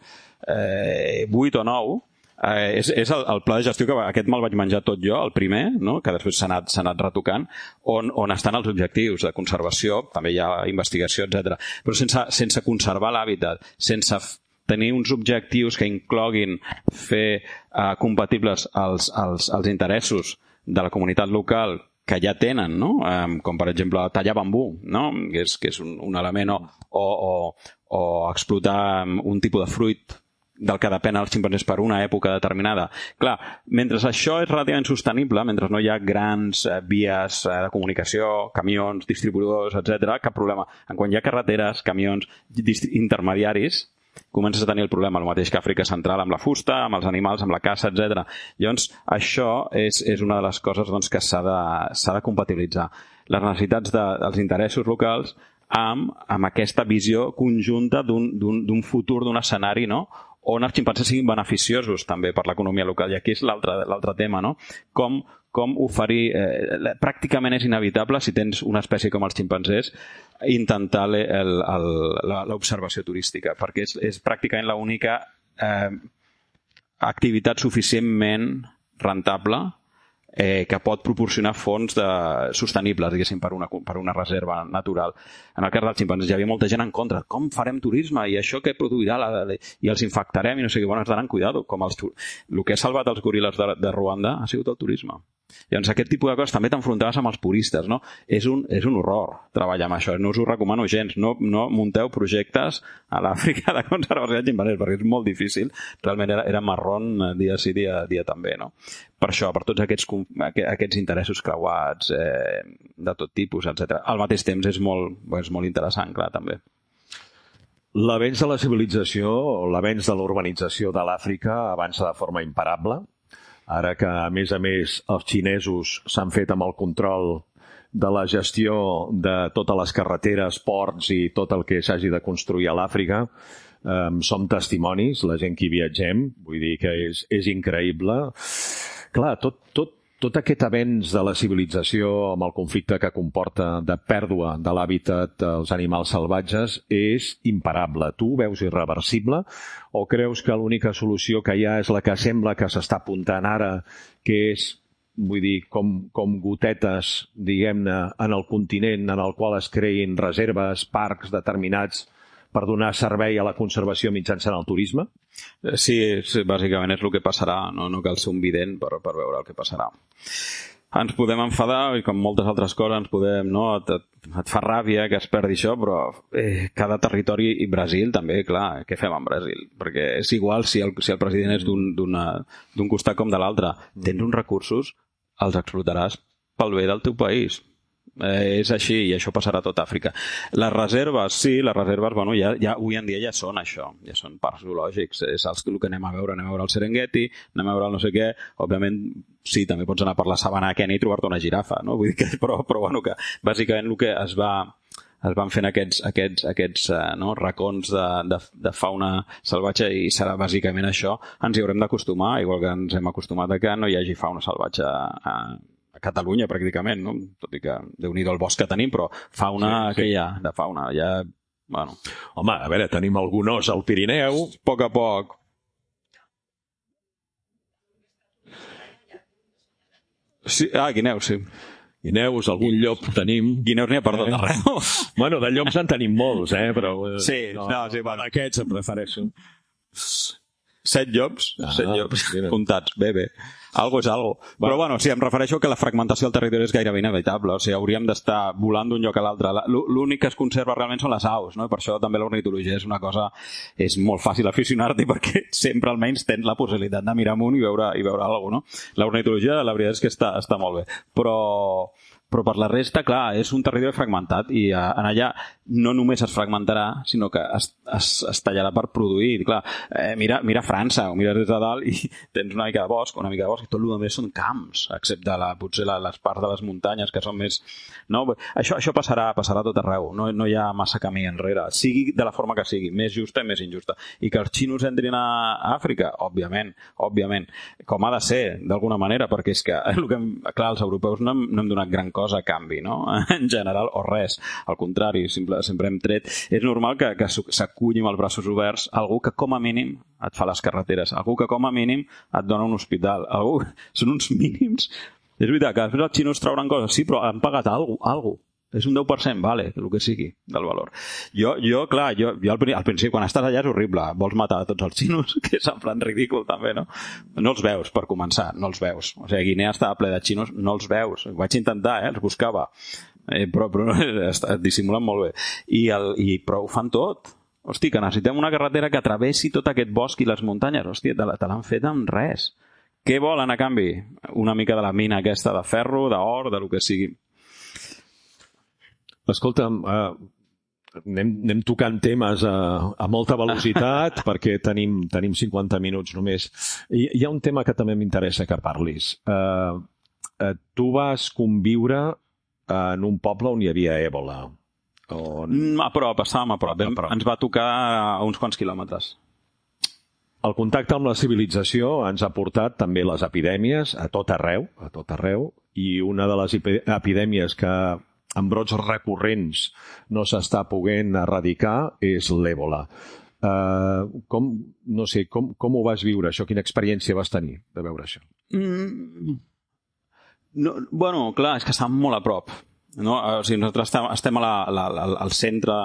vuit o nou, eh, és, és el, el pla de gestió que aquest me'l vaig menjar tot jo, el primer, no? Que després s'ha anat, s'ha anat retocant, on, on estan els objectius de conservació, també hi ha investigació, etcètera. Però sense, sense conservar l'hàbitat, sense tenir uns objectius que incloguin fer eh, compatibles els, els, els interessos de la comunitat local que ja tenen, no? Um, com per exemple tallar bambú, no? Que és, que és un, un element, o, o, o explotar un tipus de fruit del que depèn els ximpanzés per una època determinada. Clar, mentre això és relativament sostenible, mentre no hi ha grans eh, vies eh, de comunicació, camions, distribuïdors, etcètera, cap problema. En quan hi ha carreteres, camions, intermediaris, comences a tenir el problema, el mateix que Àfrica Central, amb la fusta, amb els animals, amb la caça, etcètera. Llavors, això és, és una de les coses doncs, que s'ha de, s'ha de compatibilitzar. Les necessitats de, dels interessos locals amb, amb aquesta visió conjunta d'un, d'un, d'un futur, d'un escenari, no? On els ximpanzés siguin beneficiosos també per l'economia local. I aquí és l'altre, l'altre tema, no? Com, com oferir... Eh, pràcticament és inevitable, si tens una espècie com els ximpanzés, intentar l'observació turística, perquè és, és pràcticament l'única eh, activitat suficientment rentable eh, que pot proporcionar fons de, sostenibles, diguéssim, per una, per una reserva natural. En el cas dels ximpanzés hi havia molta gent en contra. Com farem turisme? I això què produirà? La, la, I els infectarem? I no sé què. Bueno, has d'anar amb cuidado. Com els, el que ha salvat els goril·les de, de Ruanda ha sigut el turisme. Llavors, aquest tipus de coses també t'enfrontaves amb els puristes, no? És un, és un horror treballar amb això. No us ho recomano gens. No, no munteu projectes a l'Àfrica de conservació de ximpanzés, perquè és molt difícil. Realment era, era marrón dia sí, dia, dia també, no? Per això, per tots aquests, aquests interessos creuats, eh, de tot tipus, etcètera. Al mateix temps és molt, és molt interessant, clar, també. L'avenç de la civilització, l'avenç de l'urbanització de l'Àfrica avança de forma imparable. Ara que, a més a més, els xinesos s'han fet amb el control de la gestió de totes les carreteres, ports i tot el que s'hagi de construir a l'Àfrica, eh, som testimonis, la gent que hi viatgem, vull dir que és, és increïble. Clar, tot, tot, tot aquest avenç de la civilització amb el conflicte que comporta de pèrdua de l'hàbitat dels animals salvatges és imparable. Tu ho veus irreversible o creus que l'única solució que hi ha és la que sembla que s'està apuntant ara, que és vull dir, com, com gotetes, diguem-ne, en el continent en el qual es creïn reserves, parcs determinats per donar servei a la conservació mitjançant el turisme? Sí, sí, bàsicament és el que passarà, no, no cal ser un vident per, per veure el que passarà. Ens podem enfadar, i com moltes altres coses ens podem, no, et, et fa ràbia que es perdi això, però eh, cada territori, i Brasil també, clar, què fem amb Brasil? Perquè és igual si el, si el president és d'un costat com de l'altre. Tens uns recursos, els explotaràs pel bé del teu país. Eh, és així, i això passarà a tot Àfrica. Les reserves, sí, les reserves, bueno, ja, ja, avui en dia ja són això, ja són parcs zoològics, és el, el que anem a veure, anem a veure el Serengeti, anem a veure el no sé què, òbviament, sí, també pots anar per la sabana a Kenya i trobar-te una girafa, no? Vull dir que, però, però bueno, que bàsicament el que es va es van fent aquests, aquests, aquests uh, no, racons de, de, de fauna salvatge, i serà bàsicament això. Ens hi haurem d'acostumar, igual que ens hem acostumat a que no hi hagi fauna salvatge a, a Catalunya, pràcticament, no? Tot i que déu-n'hi-do el bosc que tenim, però fauna, sí, sí. Que hi ha de fauna? Ja, bueno. Home, a veure, tenim algun os al Pirineu. A poc a poc. Sí, ah, guineus, sí. Guineus, algun llop tenim. Guineus n'hi ha per tot arreu. Bueno, de llops en tenim molts, eh? Però, sí, no, no sí, bueno. Aquests em refereixo. Set llops, ah, set llops mira. Comptats, bé, bé. Algo és algo. Va. Però bueno, sí, em refereixo que la fragmentació del territori és gairebé inevitable. O sigui, hauríem d'estar volant d'un lloc a l'altre. L'únic que es conserva realment són les aus, no? I per això també l'ornitologia és una cosa... És molt fàcil aficionar-t'hi perquè sempre almenys tens la possibilitat de mirar amunt i veure, i veure alguna cosa, no? L'ornitologia, la veritat és que està, està molt bé. Però... Però per la resta, clar, és un territori fragmentat i en allà no només es fragmentarà, sinó que es, es, es tallarà per produir. Clar, eh, mira, mira França, o mires des de dalt i tens una mica de bosc, una mica de bosc, i tot el més són camps, excepte la, potser la, les parts de les muntanyes, que són més... No? Això, això passarà, passarà tot arreu, no, no hi ha massa camí enrere, sigui de la forma que sigui, més justa i més injusta. I que els xinos entrin a Àfrica, òbviament, òbviament, com ha de ser, d'alguna manera, perquè és que, el que clar, els europeus no hem, no hem donat gran cosa cosa a canvi, no? En general, o res. Al contrari, sempre, sempre hem tret. És normal que, que s'aculli amb els braços oberts algú que com a mínim et fa les carreteres, algú que com a mínim et dona un hospital, algú... Són uns mínims. És veritat que després els xinos trauran coses, sí, però han pagat alguna cosa, alguna cosa. És un deu per cent, vale, el que sigui, del valor. Jo, jo clar, jo, jo al, al principi, quan estàs allà és horrible, vols matar a tots els xinos, que és en plan ridícul també, no? No els veus, per començar, no els veus. O sigui, Guinea estava ple de xinos, no els veus. Ho vaig intentar, eh, els buscava. Eh, però però et dissimulen molt bé. I, el, i però ho fan tot. Hosti, que necessitem una carretera que travessi tot aquest bosc i les muntanyes. Hòstia, te, te l'han fet amb res. Què volen a canvi? Una mica de la mina aquesta de ferro, d'or, de lo que sigui. Escolta'm, uh, anem, anem tocant temes a, a molta velocitat perquè tenim, tenim cinquanta minuts només. Hi, hi ha un tema que també m'interessa que parlis. Uh, uh, tu vas conviure en un poble on hi havia èbola. On... A prop, estàvem a prop. a prop. Ens va tocar a uns quants quilòmetres. El contacte amb la civilització ens ha portat també les epidèmies a tot arreu, a tot arreu, i una de les epidèmies que amb brots recurrents no s'està poguent erradicar és l'èbola. Uh, com, no sé, com, com ho vas viure, això? Quina experiència vas tenir de veure això? Mm, no, bueno, clar, és que estàvem molt a prop. No? O sigui, nosaltres estem, estem a la, la, la, al centre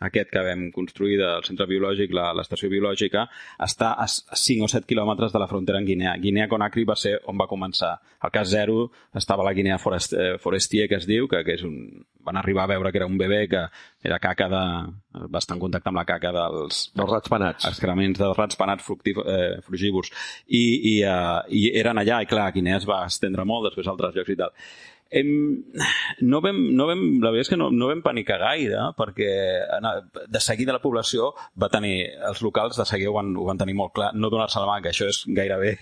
aquest que vam construir del centre biològic, l'estació biològica, està a cinc o set quilòmetres de la frontera en Guinea. Guinea-Conakry va ser on va començar. Al cas zero estava la Guinea Forest, Forestier, que es diu, que, que és un... van arribar a veure que era un bebè que era caca de... va estar en contacte amb la caca dels... dels ratpenats. Excrements dels ratpenats eh, frugívors. I, i, uh, I eren allà, i clar, Guinea es va estendre molt, després a altres llocs i tal. Em, no vam, no vam, la veritat és que no, no vam panicar gaire, perquè de seguida la població va tenir, els locals de seguida ho van, ho van tenir molt clar, no donar-se la mà, que això és gairebé,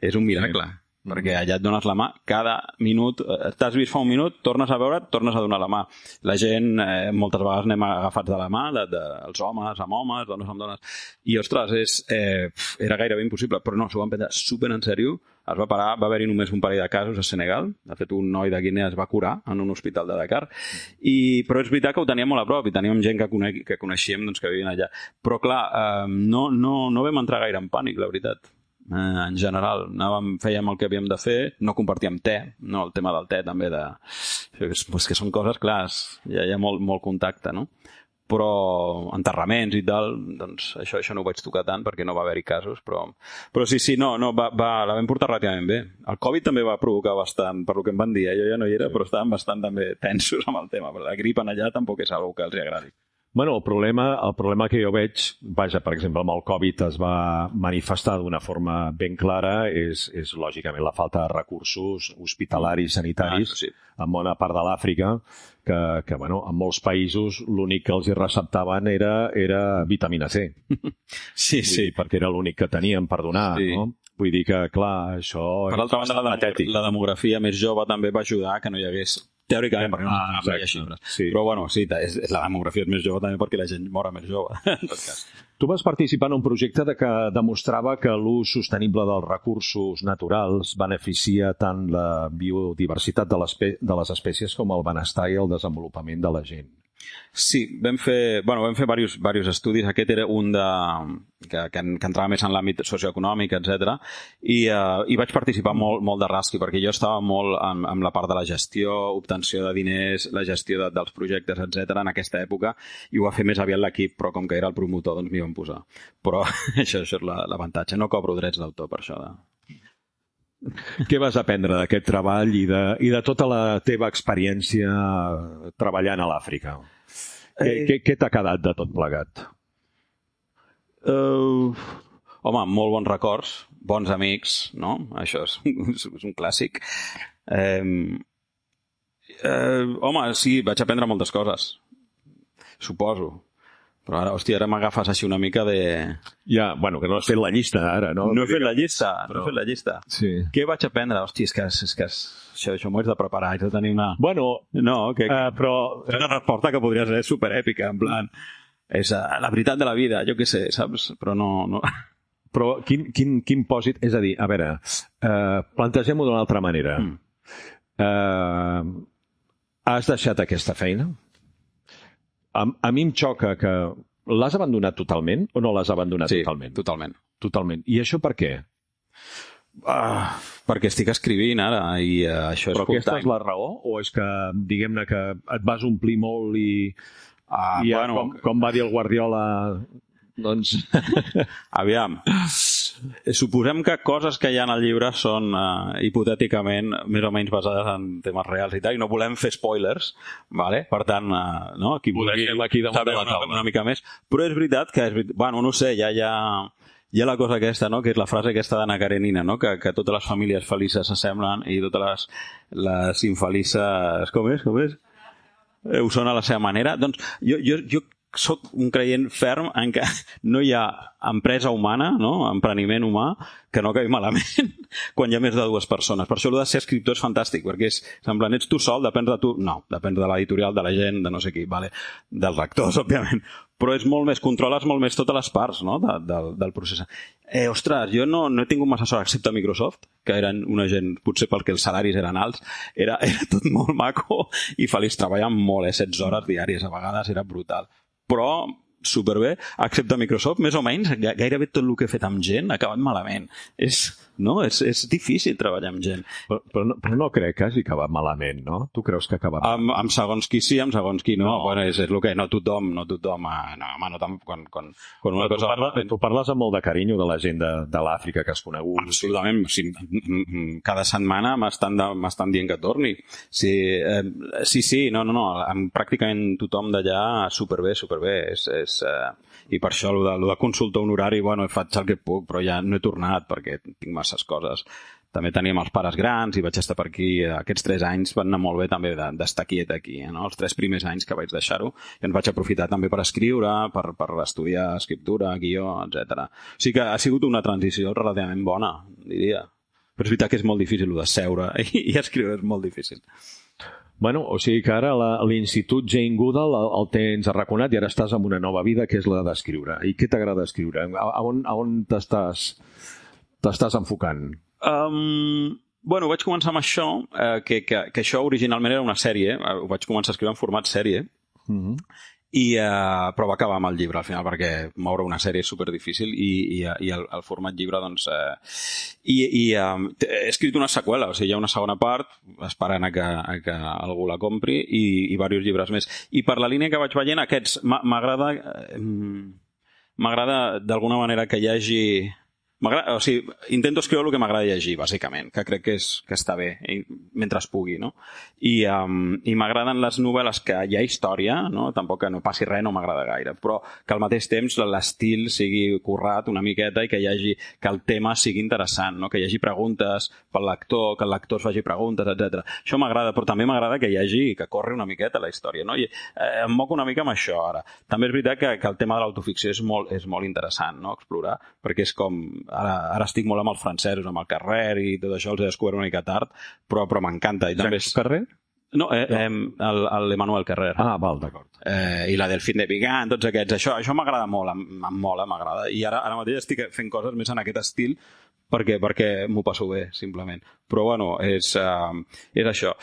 és un miracle, sí. Perquè allà et dones la mà cada minut, t'has vist fa un minut, tornes a veure, tornes a donar la mà. La gent, eh, moltes vegades anem agafats de la mà, de, de, els homes amb homes, dones amb dones, i ostres, és, eh, era gairebé impossible, però no, s'ho van prendre super en sèrio. Es va parar, va haver-hi només un parell de casos a Senegal. De fet, un noi de Guinea es va curar en un hospital de Dakar. I, però és veritat que ho teníem molt a prop i teníem gent que, conec, que coneixíem doncs, que vivien allà. Però clar, eh, no, no, no vam entrar gaire en pànic, la veritat. eh, en general. Anàvem, fèiem el que havíem de fer, no compartíem te, no? El tema del te també, de... pues que són coses clars, hi ha, hi ha molt, molt contacte, no? Però enterraments i tal, doncs això, això no ho vaig tocar tant perquè no va haver-hi casos, però, però sí, sí, no, no va, va, la vam portar relativament bé. El Covid també va provocar bastant, per lo que em van dir, eh? Jo ja no hi era, però estaven bastant també tensos amb el tema, però la grip en allà tampoc és una cosa que els agradi. Bueno, el problema, el problema que jo veig, vaja, per exemple, amb el Covid es va manifestar d'una forma ben clara, és, és lògicament la falta de recursos hospitalaris, sanitaris, ah, sí. En bona part de l'Àfrica, que, que bueno, en molts països l'únic que els hi receptaven era, era vitamina C. Sí, sí. Dir, perquè era l'únic que tenien per donar, sí. No? Vull dir que, clar, això... Per altra banda, la, demografia, la demografia més jove també va ajudar que no hi hagués... Teòricament, perquè no ah, hi ha xifres. Sí. Però, bueno, sí, és, la demografia és més jove també perquè la gent mora més jove, en tot cas. Tu vas participar en un projecte de que demostrava que l'ús sostenible dels recursos naturals beneficia tant la biodiversitat de les, de les espècies com el benestar i el desenvolupament de la gent. Sí, vam fer, bueno, vam fer diversos, diversos estudis. Aquest era un de, que, que, que entrava més en l'àmbit socioeconòmic, etcètera. I, uh, i vaig participar molt, molt de rasqui, perquè jo estava molt amb, amb la part de la gestió, obtenció de diners, la gestió de, dels projectes, etcètera en aquesta època, i ho va fer més aviat l'equip, però com que era el promotor, doncs m'hi vam posar. Però això, això és l'avantatge. No cobro drets d'autor per això. De... Què vas aprendre d'aquest treball i de, i de tota la teva experiència treballant a l'Àfrica? Què, eh... què, què t'ha quedat de tot plegat? Uh, home, molt bons records, bons amics, no? Això és, és un clàssic. Uh, uh, home, sí, vaig aprendre moltes coses, suposo. Però ara, hòstia, ara m'agafes així una mica de... Ja, bueno, que no has fet la llista ara, no? No he fet la llista, però... no he fet la llista. Sí. Què vaig aprendre? Hòstia, és que, és que això, això m'ho haig de preparar, haig de tenir una... Bueno, no, que, uh, però... És una resposta que podria ser superèpica, en plan... És uh, la veritat de la vida, jo què sé, saps? Però no... no... Però quin, quin, quin pòsit... És a dir, a veure, uh, plantegem-ho d'una altra manera. Mm. Uh, has deixat aquesta feina? A, a mi em xoca que... L'has abandonat totalment o no l'has abandonat sí, totalment? totalment. Totalment. I això per què? Uh, perquè estic escrivint ara i uh, això és Però aquesta és la raó? O és que, diguem-ne, que et vas omplir molt i... Uh, i bueno, com, com va dir el Guardiola... Doncs... Aviam. Suposem que coses que hi ha al llibre són uh, hipotèticament més o menys basades en temes reals i tal, i no volem fer spoilers, vale? Per tant, uh, no? Qui vulgui saber una, una mica més. Però és veritat que, és veritat, bueno, no sé, ja hi ha, hi ha la cosa aquesta, no? Que és la frase aquesta d'Anna Karenina, no? Que, que totes les famílies felices s'assemblen i totes les, les infelices... Com és? Com és? Eh, ho són a la seva manera. Doncs jo, jo, jo soc un creient ferm en què no hi ha empresa humana, no? Empreniment humà, que no acabi malament quan hi ha més de dues persones. Per això el de ser escriptor és fantàstic, perquè és semblant, ets tu sol, depèn de tu... No, depèn de l'editorial, de la gent, de no sé qui, vale? Dels lectors, òbviament. Però és molt més, controles molt més totes les parts, no? de, de, del procés. Eh, ostres, jo no, no he tingut massa sort, excepte Microsoft, que eren una gent, potser perquè els salaris eren alts, era, era tot molt maco i feliç, treballant molt, eh? setze hores diàries, a vegades era brutal. Però superbé, excepte Microsoft, més o menys, gairebé tot el que he fet amb gent ha acabat malament. És, no? és, és difícil treballar amb gent. Però, però, no, però no crec que hagi acabat malament, no? Tu creus que ha acabat malament? Amb, amb segons qui sí, amb segons qui no. no. Bueno, és, és el que no tothom, no tothom... No, home, no tant, quan, quan, quan una tu, cosa... parla, tu parles amb molt de carinyo de la gent de, de l'Àfrica que has conegut. Absolutament. Sí, cada setmana m'estan dient que torni. Sí, eh, sí, sí, no, no, no. Amb pràcticament tothom d'allà superbé, superbé. És, és, eh, i per això el de, el de consulta honorari, bueno, faig el que puc, però ja no he tornat perquè tinc masses coses. També teníem els pares grans i vaig estar per aquí. Aquests tres anys van anar molt bé també d'estar quiet aquí, no? Els tres primers anys que vaig deixar-ho i ens vaig aprofitar també per escriure, per, per estudiar escriptura, guió, etcètera. O sigui que ha sigut una transició relativament bona, diria. Però és veritat que és molt difícil el de seure i, i escriure és molt difícil. Bueno, o sigui que ara l'Institut Jane Goodall el, el tens arraconat i ara estàs en una nova vida que és la d'escriure. I què t'agrada escriure? A, a on, a on t'estàs t'estàs enfocant? Um, bueno, vaig començar amb això, eh, que, que, que això originalment era una sèrie, eh, ho vaig començar a escriure en format sèrie, mm-hmm. I, uh, però va acabar amb el llibre al final perquè moure una sèrie és superdifícil i, i, i el, el format llibre doncs uh, i, i um, he escrit una seqüela, o sigui, hi ha una segona part esperant a que, a que algú la compri i, i diversos llibres més, i per la línia que vaig veient aquests m'agrada m'agrada d'alguna manera que hi hagi o sigui, intento escriure el que m'agrada llegir, bàsicament, que crec que, és, que està bé, mentre es pugui, no? I, um, i m'agraden les novel·les que hi ha història, no? Tampoc que no passi res no m'agrada gaire, però que al mateix temps l'estil sigui currat una miqueta i que hi hagi, que el tema sigui interessant, no? Que hi hagi preguntes pel lector, que el lector es faci preguntes, etcètera. Això m'agrada, però també m'agrada que hi hagi, que corri una miqueta la història, no? I eh, em moc una mica amb això, ara. També és veritat que, que el tema de l'autoficció és molt, és molt interessant, no? Explorar, perquè és com Ara, ara estic molt amb els francesos, amb el Carrer i tot això, els he descobert una mica tard, però, però m'encanta. Jacques Carrer? No, eh, eh, l'Emmanuel Carrer. Ah, val, d'acord. Eh, I la Delphine de Vigan, tots aquests. Això, això m'agrada molt, em, em mola, m'agrada. I ara, ara mateix estic fent coses més en aquest estil perquè, perquè m'ho passo bé, simplement. Però, bueno, és, uh, és això.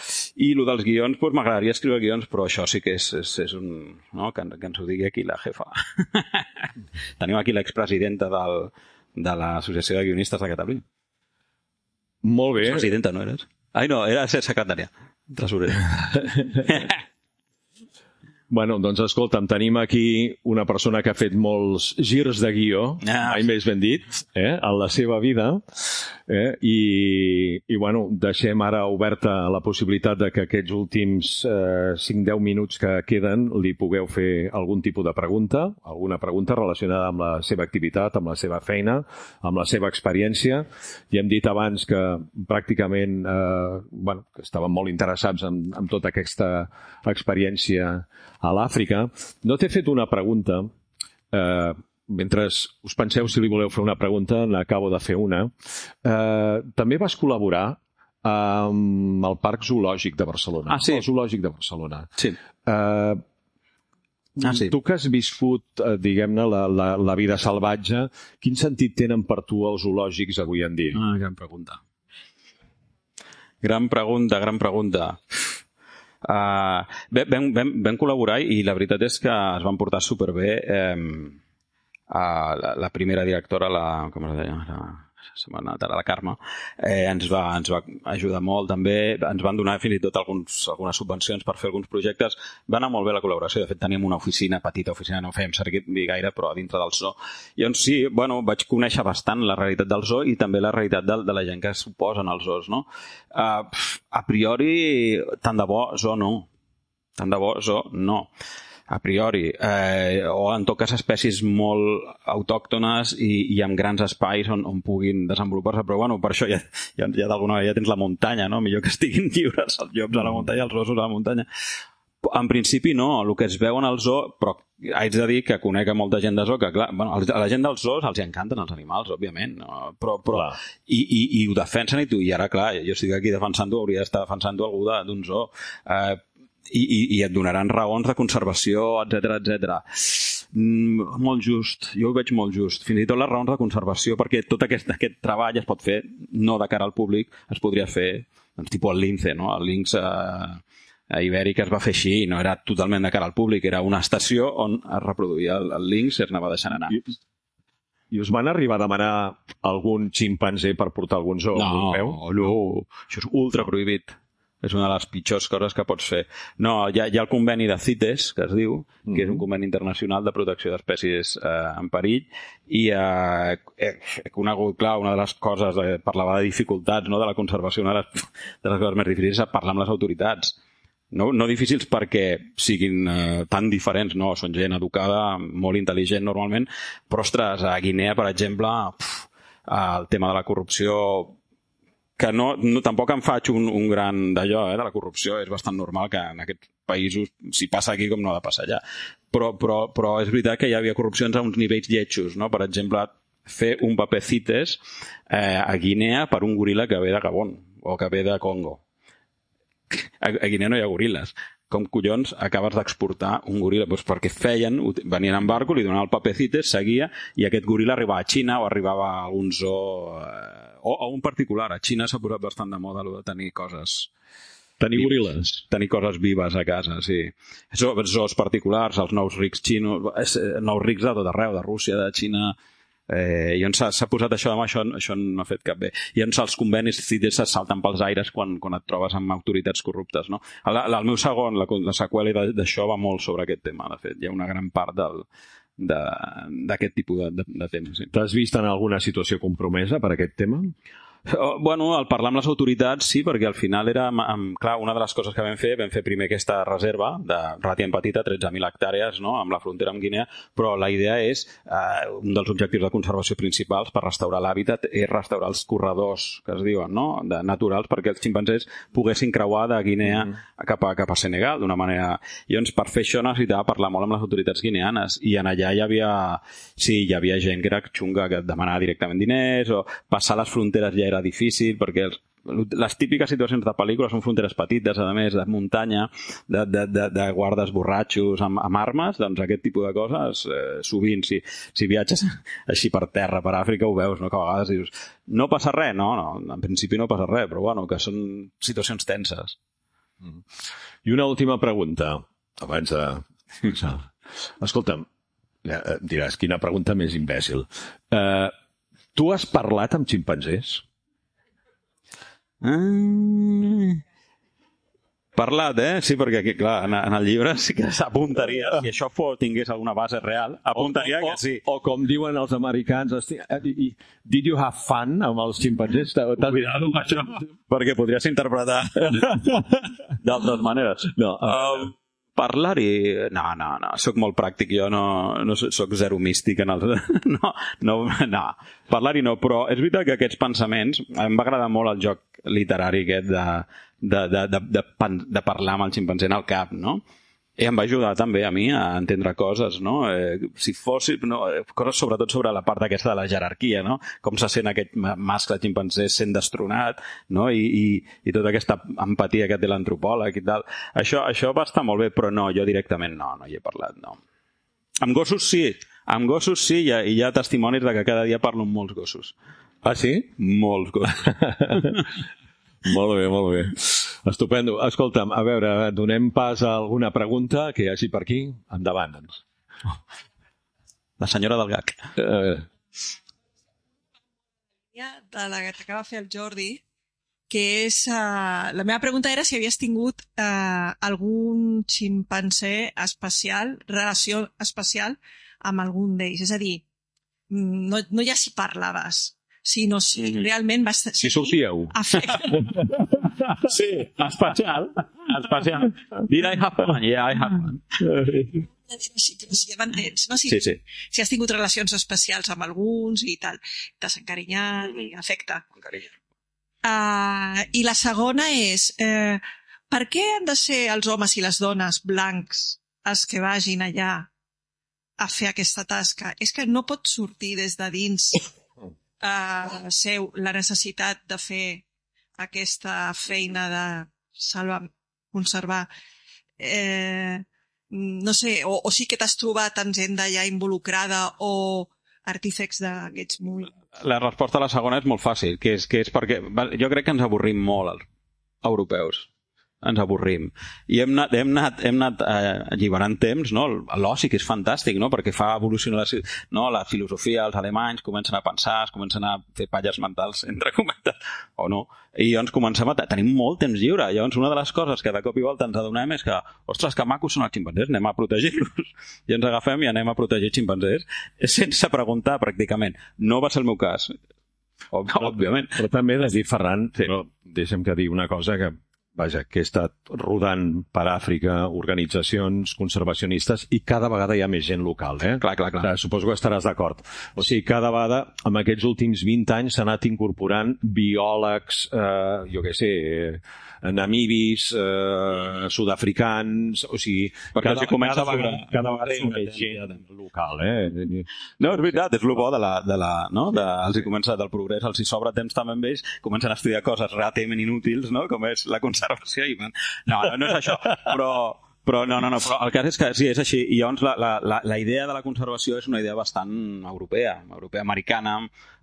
I el dels guions, doncs m'agradaria escriure guions, però això sí que és, és, és un... No? Que, que ens ho digui aquí la jefa. Tenim aquí l'expresidenta del... de l'Associació de Guionistes de Catalunya. Molt bé. Presidenta, no eres? Ai, no, era ser secretària. Tresorera. Bueno, doncs escolta'm, tenim aquí una persona que ha fet molts girs de guió, ah. mai més ben dit, eh, en la seva vida, eh, i, i bueno, deixem ara oberta la possibilitat de que aquests últims eh, cinc a deu minuts que queden li pugueu fer algun tipus de pregunta, alguna pregunta relacionada amb la seva activitat, amb la seva feina, amb la seva experiència. I hem dit abans que pràcticament eh, bueno, que estaven molt interessats en, en tota aquesta experiència a l'Àfrica. No t'he fet una pregunta. Eh, mentre us penseu si li voleu fer una pregunta, n'acabo de fer una. Eh, també vas col·laborar amb el Parc Zoològic de Barcelona. Ah, sí? El Zoològic de Barcelona. Sí. Eh, ah, sí. Tu que has viscut, eh, diguem-ne, la, la, la vida salvatge, quin sentit tenen per tu els zoològics avui en dia? Ah, gran pregunta. Gran pregunta, gran pregunta. Uh, vam, vam, vam col·laborar i la veritat és que es van portar superbé. Eh, uh, la, la primera directora, la, com es deia? La, se m'ha anat ara, la Carme, eh, ens, va, ens va ajudar molt també, ens van donar fins i tot alguns, algunes subvencions per fer alguns projectes. Va anar molt bé la col·laboració, de fet teníem una oficina, petita oficina, no fèiem servir gaire, però a dintre del zoo. I doncs sí, bueno, vaig conèixer bastant la realitat del zoo i també la realitat de, de la gent que s'oposen als zoos, no? Uh, a priori, tant de bo zoo no. Tant de bo zoo no. A priori, eh, o en tot cas espècies molt autòctones i, i amb grans espais on, on puguin desenvolupar-se, però bueno, per això ja, ja, ja d'alguna manera ja tens la muntanya, no? Millor que estiguin lliures els llops a la muntanya, els ossos a la muntanya. En principi no, el que es veu en el zoo, però haig de dir que conec a molta gent de zoo, que clar, bueno, a la gent dels zoos els encanten els animals, òbviament, no? però, però i, i, i ho defensen i tu, i ara clar, jo estic aquí defensant-ho, hauria d'estar defensant-ho algú d'un zoo. Eh, I, i, i et donaran raons de conservació, etcètera, etcètera. Mm, molt just, jo ho veig molt just. Fins i tot les raons de conservació, perquè tot aquest, aquest treball es pot fer no de cara al públic, es podria fer, doncs, tipus el lince, no? El lince eh, a Ibèric es va fer així, no era totalment de cara al públic, era una estació on es reproduïa el, el lince i es anava deixant anar. I, I us van arribar a demanar algun ximpanzé per portar algun zoo? No, no, això és ultra prohibit. És una de les pitjors coses que pots fer. No, hi ha, hi ha el conveni de CITES, que es diu, que mm-hmm. és un conveni internacional de protecció d'espècies eh, en perill, i eh, he conegut, clar, una de les coses, eh, parlava de dificultats, no?, de la conservació, una de les, de les coses més difícils és parlar amb les autoritats. No, no difícils perquè siguin eh, tan diferents, no, són gent educada, molt intel·ligent normalment, però, ostres, a Guinea, per exemple, pf, el tema de la corrupció... que no, no, tampoc em faig un, un gran d'allò, eh, de la corrupció, és bastant normal que en aquests països, si passa aquí com no ha de passar allà, però, però, però és veritat que hi havia corrupcions a uns nivells lletjos, no? Per exemple, fer un paper CITES eh, a Guinea per un goril·la que ve de Gabon o que ve de Congo. A, a Guinea no hi ha goril·les. Com collons acabes d'exportar un goril·la? Pues perquè feien, venien en barco, li donaven el paper CITES, seguia, i aquest goril·la arribava a Xina o arribava a algun zoo... Eh, o a un particular. A Xina s'ha posat bastant de moda el de tenir coses Tenir goril·les. Tenir coses vives a casa, sí. Zoos particulars, els nous rics xinos, nous rics de tot arreu, de Rússia, de Xina... Eh, i on s'ha posat això, això, això no ha fet cap bé. I on els convenis CITES se salten pels aires quan, quan et trobes amb autoritats corruptes, no? El, el meu segon, la, la seqüela d'això va molt sobre aquest tema, de fet. Hi ha una gran part del, d'aquest tipus de, de, de temes. Sí. T'has vist en alguna situació compromesa per aquest tema? Bueno, al parlar amb les autoritats sí, perquè al final era, amb, clar, una de les coses que vam fer, vam fer primer aquesta reserva de relativament petita, tretze mil hectàrees, no?, amb la frontera amb Guinea, però la idea és, eh, un dels objectius de conservació principals per restaurar l'hàbitat és restaurar els corredors, que es diuen, no?, de, naturals, perquè els ximpanzés poguessin creuar de Guinea mm. cap, a, cap a Senegal d'una manera... I llavors, per fer això necessitava parlar molt amb les autoritats guineanes, i en allà hi havia, sí, hi havia gent que era xunga, que demanava directament diners, o passar les fronteres ja era difícil, perquè els, les típiques situacions de pel·lícula són fronteres petites, a més, de muntanya, de, de, de, de guardes borratxos amb, amb armes, doncs aquest tipus de coses, eh, sovint, si, si viatges així per terra, per Àfrica, ho veus, no?, que a vegades dius, no passa res, no, no, en principi no passa res, però bueno, que són situacions tenses. I una última pregunta, abans de... Escolta'm, diràs, quina pregunta més imbècil. Eh... Tu has parlat amb ximpanzés? Mm. Parlat, eh? Sí, perquè, clar, en, en el llibre sí que s'apuntaria. Si això fos, tingués alguna base real, apuntaria o, o, que sí. O, o com diuen els americans, did you have fun amb els ximpanzés? Cuidado amb això, perquè podries interpretar d'altres maneres. No, um, parlar-hi... No, no, no. Soc molt pràctic. Jo no, no soc zero místic en els... No, no, no. Parlar-hi no, però és veritat que aquests pensaments... Em va agradar molt el joc literari aquest de, de, de, de, de, de parlar amb el ximpanzé en el cap, no? I em va ajudar també a mi a entendre coses, no? Eh, si fos... No, coses sobretot sobre la part aquesta de la jerarquia, no? Com se sent aquest mascle ximpanzé sent destronat, no? I, i, i tota aquesta empatia que té l'antropòleg i tal. Això, això va estar molt bé, però no, jo directament no, no hi he parlat, no. Amb gossos sí, amb gossos sí, i hi ha, hi ha testimonis de que cada dia parlo amb molts gossos. Ah, sí? Molts gossos. Molt bé, molt bé. Estupendo. Escolta'm, a veure, donem pas a alguna pregunta que hi hagi per aquí. Endavant. La senyora del G A C. A veure. De la que t'acaba de fer el Jordi, que és... Uh, la meva pregunta era si havies tingut uh, algun ximpanzé especial, relació especial amb algun d'ells. És a dir, no, no ja si parlaves, sinó si realment vas... Si sortíeu. Sí, especial. Especial. Did I have fun? Yeah, I have fun. Sí, si ja m'entens, no? Si, sí, sí. Si has tingut relacions especials amb alguns i tal, t'has encarinyat i afecta. Uh, I la segona és, eh, per què han de ser els homes i les dones blancs els que vagin allà a fer aquesta tasca? És que no pot sortir des de dins Uh, seu la necessitat de fer aquesta feina de salvar, conservar, eh, no sé, o, o sí que t'has trobat amb gent d'allà involucrada o artífecs d'aquests molt... La resposta a la segona és molt fàcil, que és, que és perquè jo crec que ens avorrim molt els europeus. Ens avorrim. I hem anat, hem anat, hem anat eh, alliberant temps, no? L'oci, que és fantàstic, no? Perquè fa evolucionar la, no? la filosofia, els alemanys comencen a pensar, es comencen a fer palles mentals, entre cometes, o no. I llavors comencem a... Tenim molt temps lliure. Llavors, una de les coses que de cop i volta ens adonem és que, ostres, que macos són els ximpanzés, anem a protegir-los. I ens agafem i anem a protegir ximpanzés sense preguntar, pràcticament. No va ser el meu cas. Òbviament. Però també he de dir, Ferran, sí. Però deixa'm que dir una cosa que vaja, que he estat rodant per Àfrica organitzacions conservacionistes i cada vegada hi ha més gent local, eh? Clar, clar, clar. O sigui, suposo que estaràs d'acord. O sigui, cada vegada, en aquests últims vint anys, s'ha anat incorporant biòlegs, eh, jo què sé, namibis, eh, sud-africans, o sigui, cada, cada, vegada, cada vegada hi ha més gent local, eh? No, és veritat, és el bo de la... De la no? de, els hi comença del progrés, els hi sobra temps també amb ells, comencen a estudiar coses relativament inútils, no? Com és la conservació i van... No, no, no és això, però, però no, no, no, però el cas és que sí, és així, i llavors la, la, la idea de la conservació és una idea bastant europea, europea-americana,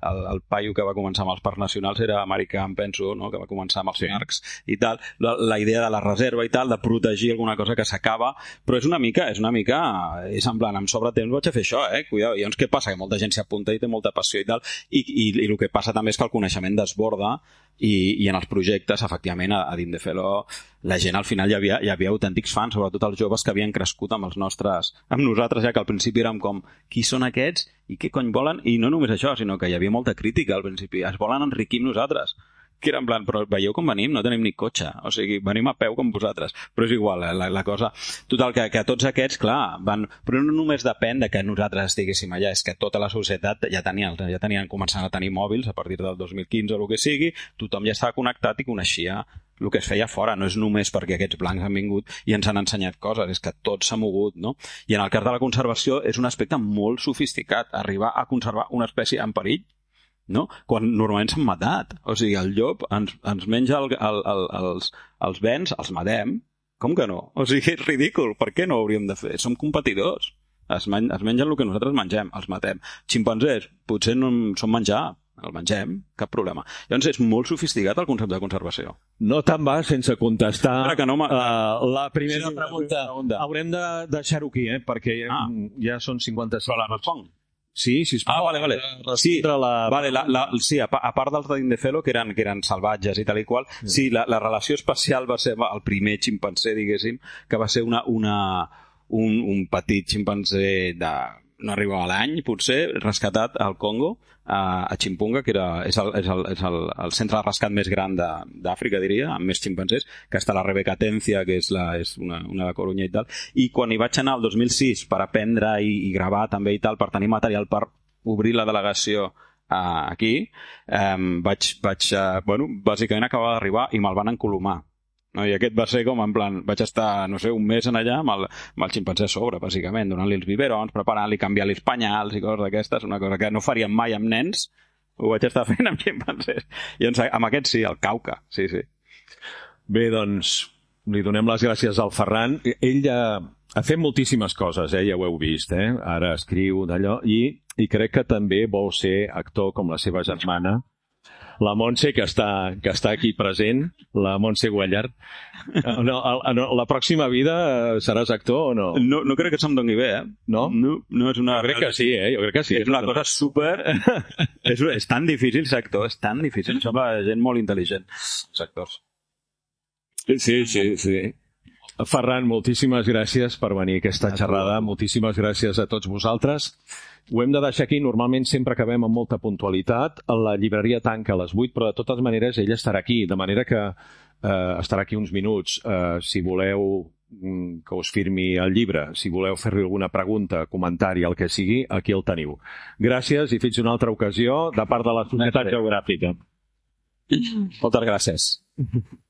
el, el paio que va començar amb els parcs nacionals era americà, em penso, no? Que va començar amb els parcs i tal, la, la idea de la reserva i tal, de protegir alguna cosa que s'acaba, però és una mica, és una mica, és en plan, em sobra temps, vaig a fer això, eh? Cuidado. I llavors què passa? Que molta gent s'hi apunta i té molta passió i tal, i, i, i el que passa també és que el coneixement desborda i, i en els projectes, efectivament, a, a Dindefelo, la gent al final hi havia, hi havia autèntics fans, sobretot els joves que havien crescut amb els nostres, amb nosaltres, ja que al principi érem com, qui són aquests i què cony volen? I no només això, sinó que hi havia molta crítica al principi, es volen enriquir amb nosaltres, que era en plan, però veieu com venim? No tenim ni cotxe, o sigui, venim a peu com vosaltres, però és igual, la, la cosa, total, que, que tots aquests, clar, van, però no només depèn de que nosaltres estiguéssim allà, és que tota la societat ja tenien, ja tenien començant a tenir mòbils a partir del dos mil quinze o el que sigui, tothom ja estava connectat i coneixia el que es feia fora, no és només perquè aquests blancs han vingut i ens han ensenyat coses, és que tot s'ha mogut, no? I en el cas de la conservació és un aspecte molt sofisticat, arribar a conservar una espècie en perill, no? Quan normalment s'han matat, o sigui, el llop ens, ens menja el, el, el, els, els bens, els matem, com que no? O sigui, és ridícul, per què no ho hauríem de fer? Som competidors, es, men es mengen el que nosaltres mengem, els matem. Ximpanzés, potser no són menjar, el mengem, cap problema. Llavors és molt sofisticat el concepte de conservació. No te'n vas sense contestar que no uh, la primera sí, pregunta. pregunta. Haurem de deixar-ho aquí, eh? Perquè ah. ja són cinquanta-cinc. Però la responc. Sí, sisplau. Ah, vale, vale. Sí, la... vale, la, la, sí a, a part dels de Dindefelo, que eren, que eren salvatges i tal i qual, sí, sí la, la relació especial va ser el primer ximpanzé, diguéssim, que va ser una, una, un, un petit ximpanzé de... no arribava a l'any, potser, rescatat al Congo, a, a Chimpunga, que era, és, el, és, el, és el, el centre de rescat més gran d'Àfrica, diria, amb més ximpanzés, que està la Rebeca Atencia, que és, la, és una, una de Corunya i tal, i quan hi vaig anar el dos mil sis per aprendre i, i gravar també i tal, per tenir material per obrir la delegació uh, aquí, um, vaig, vaig uh, bueno, bàsicament acabava d'arribar i me'l van encolomar. No, i aquest va ser com en plan, vaig estar, no sé, un mes en allà amb el, amb el ximpanzé a sobre, bàsicament, donant-li els biberons, preparant-li, canviant-li els penyals i coses d'aquestes, una cosa que no faríem mai amb nens, ho vaig estar fent amb ximpanzés. I doncs, amb aquest sí, el Cauca, sí, sí. Bé, doncs, li donem les gràcies al Ferran. Ell ja ha fet moltíssimes coses, eh? Ja ho heu vist, eh? Ara escriu d'allò, i, i crec que també vol ser actor com la seva germana, la Montse, que està, que està aquí present, la Montse Guallart. No, no, la pròxima vida seràs actor o no? No, no crec que se'm doni bé, eh? No? No, no és una... Jo crec que sí, eh? Jo crec que sí. És una cosa super... és, és tan difícil ser actor, és tan difícil. Sembla gent molt intel·ligent, els actors. Sí, sí, sí. Ferran, moltíssimes gràcies per venir a aquesta xerrada. Moltíssimes gràcies a tots vosaltres. Ho hem de deixar aquí. Normalment sempre acabem amb molta puntualitat. La llibreria tanca a les vuit, però de totes maneres ell estarà aquí, de manera que eh, estarà aquí uns minuts. Eh, si voleu que us firmi el llibre, si voleu fer-li alguna pregunta, comentari, el que sigui, aquí el teniu. Gràcies i fins una altra ocasió de part de la Societat Geogràfica. Moltes gràcies.